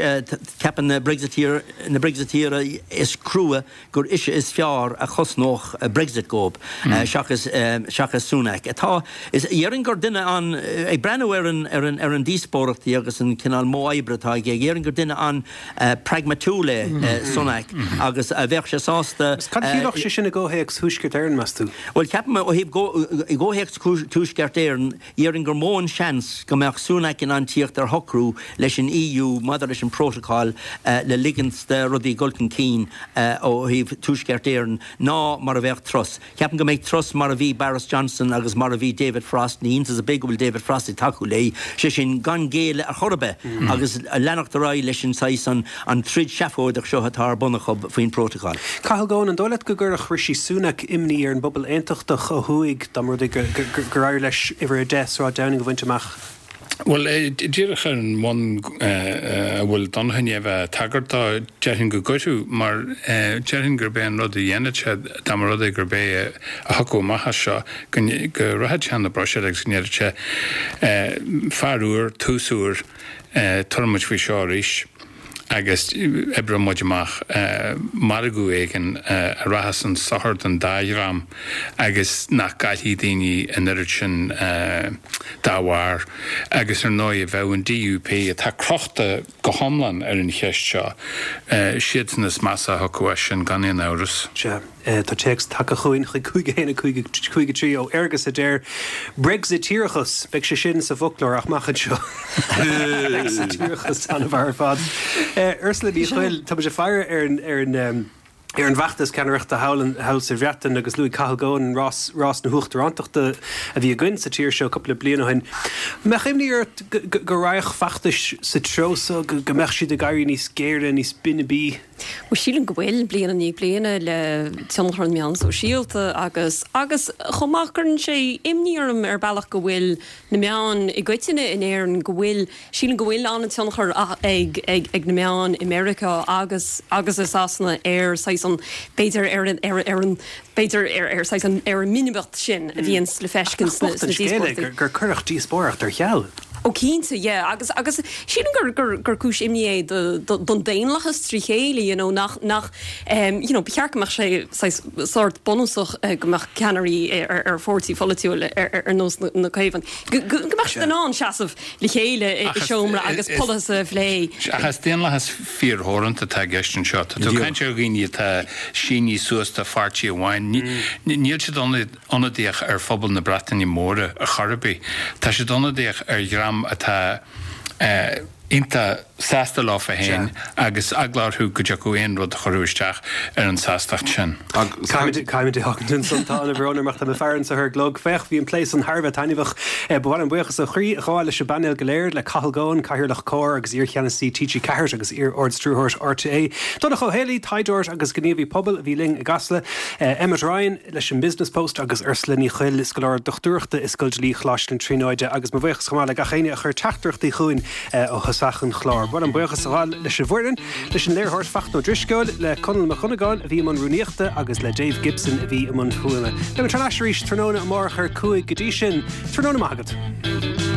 ceapann na Brexiteer na Brexiteers is crua gur ise is fearr a chosnódh Brexit dhóibh seachas seachas Sunak. Atá, is, dhéarfainn gur duine an, ag breathnú ar an, ar an, ar an díospóireachtaí agus an cineál modh oibre atá aige, dhéarfainn gur duine an-pragmatúil é Sunak agus a bheadh sé sásta. Agus cad a chiallódh sé sin i gcomhthéacs Thuaisceart Éireann, meas tú? Bhuel, ceapaim ó thaobh, i gcomhthéacs Tuaisceart Éireann, Dhéarfainn gur mó an seans go mbeadh Sunak in ann tíocht ar shocrú leis an EU maidir leis an bprótacal le ligint do rudaí dul chun cinn ó thaobh Tuaisceart Éireann ná mar a bheadh Truss. Ceapaim go mbeidh Truss mar a bhí Boris Johnson agus mar a bhí David Frost, ní hiontas ar bith go bhfuil David Frost ag tacú léi, sé sin gan géilleadh ar chor ar bith agus leanacht ar aghaidh leis an saghas an troid seafóideach seo atá ar bun acu faoin bprótacal. Cathal Goan, an dóigh leat go gcuirfeadh Rishi Sunak imní ar an bpobal aontachtach ó thuaidh dá mba rud é gur éirigh leis uimhir 10 Sráid Downing a bhaint amach? Bhuel, díreach ar an mbonn a bhfuil Donncha i ndiaidh a bheith ag tagairt dó, déarfainn go gcuirfeadh, mar déarfainn gurb é an rud a dhéanfadh sé dá mba rud é gurb é a thiocfadh amach as seo, go rachadh sé chun na Bruiséile agus go ndéarfadh sé, 'Fear úr, tús úr, tabharfaidh muid faoi seo arís. agus oibreoidh muid amach margadh éigin a rachas chun sochair don dá dhream agus nach gcaillfidh daoine an oiread sin dá bharr. Agus ar ndóigh, bheadh an DUP, atá crochta go hiomlán ar an cheist seo, siadsan is measa a thiocfadh as sin, gan aon amhras. Sea. Tá téacs tagtha chugainn chuig 5 1 5 5 3 ó Fhergus a deir, Brexiteerachas! Beidh sé sin sa bhfoclóir amach anseo. Brexiteerachas, an-mhaith ar fad. Ursula Ní Chuill, tá muid ag faire ar an ar an ar an bhfeachtas ceannaireachta thall thall sa Bhreatain agus luaigh Cathal Goan rás rás na huachtarántachta a bhí againn sa tír seo cúpla bliain ó shin. Mbeadh imní ort go go raghadh feachtais sa treo so, go go mbeadh siad ag éirí níos géire, níos binbí? Bhuel, sílim go bhfuil, bliain i ndiaidh bliana, le tionchar na meán sóisialta agus, agus chomh maith, cuireann sé imní orm ar bealach go bhfuil na meáin i gcoitinne in Éirinn, go bhfuil, sílim go bhfuil an-tionchar ag, ag, ag na meáin i Meiriceá agus, agus i Sasana ar saghas an, b'fhéidir ar an, ar, ar an, b'fhéidir ar, ar saghas an, ar an mbinbeacht sin a bhíonns le feiscint sna, sna díospóireachtaí. Gur cuireadh díospóireacht ar ceal. Ó cinnte, yeah, agus, agus sílim gur, gur, gur cúis imní é do, do, don daonlathas trí chéile, you know, nach, nach, em, you know, ba cheart go mbeadh sé saghas sórt bunúsach go mbeadh ceannairí ar, ar pháirtí pholaitiúil ar, ar, ar nós na, na Caomhán, go, go, go mbeadh siad in ann seasamh le chéile i, i seomra agus polasaithe a phlé. Ach is daonlathas fíortheoranta atá i gceist anseo. Tá tú ag caint ar dhaoine atá sínithe suas do pháirtí amháin. Níl siad ionadaíoch ar phobal na Breataine Móire ar chor ar bith. Tá siad ionadaíoch ar dhream atá iontach sásta leofa féin agus eagla orthu go dtiocfadh aon rud a chuirfeadh isteach ar an tsástacht sin. Caithfimid é a fhágaint ansan, tá an-bhrón orm ach tá mé ag faire anso ar an gclog. Féach, bhí an plé san thar a bheith taitneamhach. Ba mhaith liom buíochas ó chroí a ghabháil leis an bpainéal go léir, le Cathal Goan, Cathaoirleach Comhar agus iar-cheannasaí TG4 agus iar-Ard-Stiúrthóir RTÉ, Donncha Ó Héalaí, taighdeoir agus gníomhaí pobail a bhí linn i gCasla, Emmet Ryan, leis an Business Post agus Ursula Ní Chuill, scoláire dochtúireachta i Scoil Dlí Choláiste na Tríonóide agus mo bhuíochas chomh maith le gach éinne a chuir teachtaireachtaí chugainn ó thosach an chláir. Ba mhaith liom buíochas a ghabháil leis an bhfoireann, leis an léiritheoir Fachtna Ó Drisceoil, le Conall Mac Dhonnagáin a bhí i mbun rúnaíochta agus le Dave Gibson a bhí i mbun fuaime. Beidh muid thar n-ais arís tráthnóna amárach ar 5 go dtí sin, tráthnóna maith agat.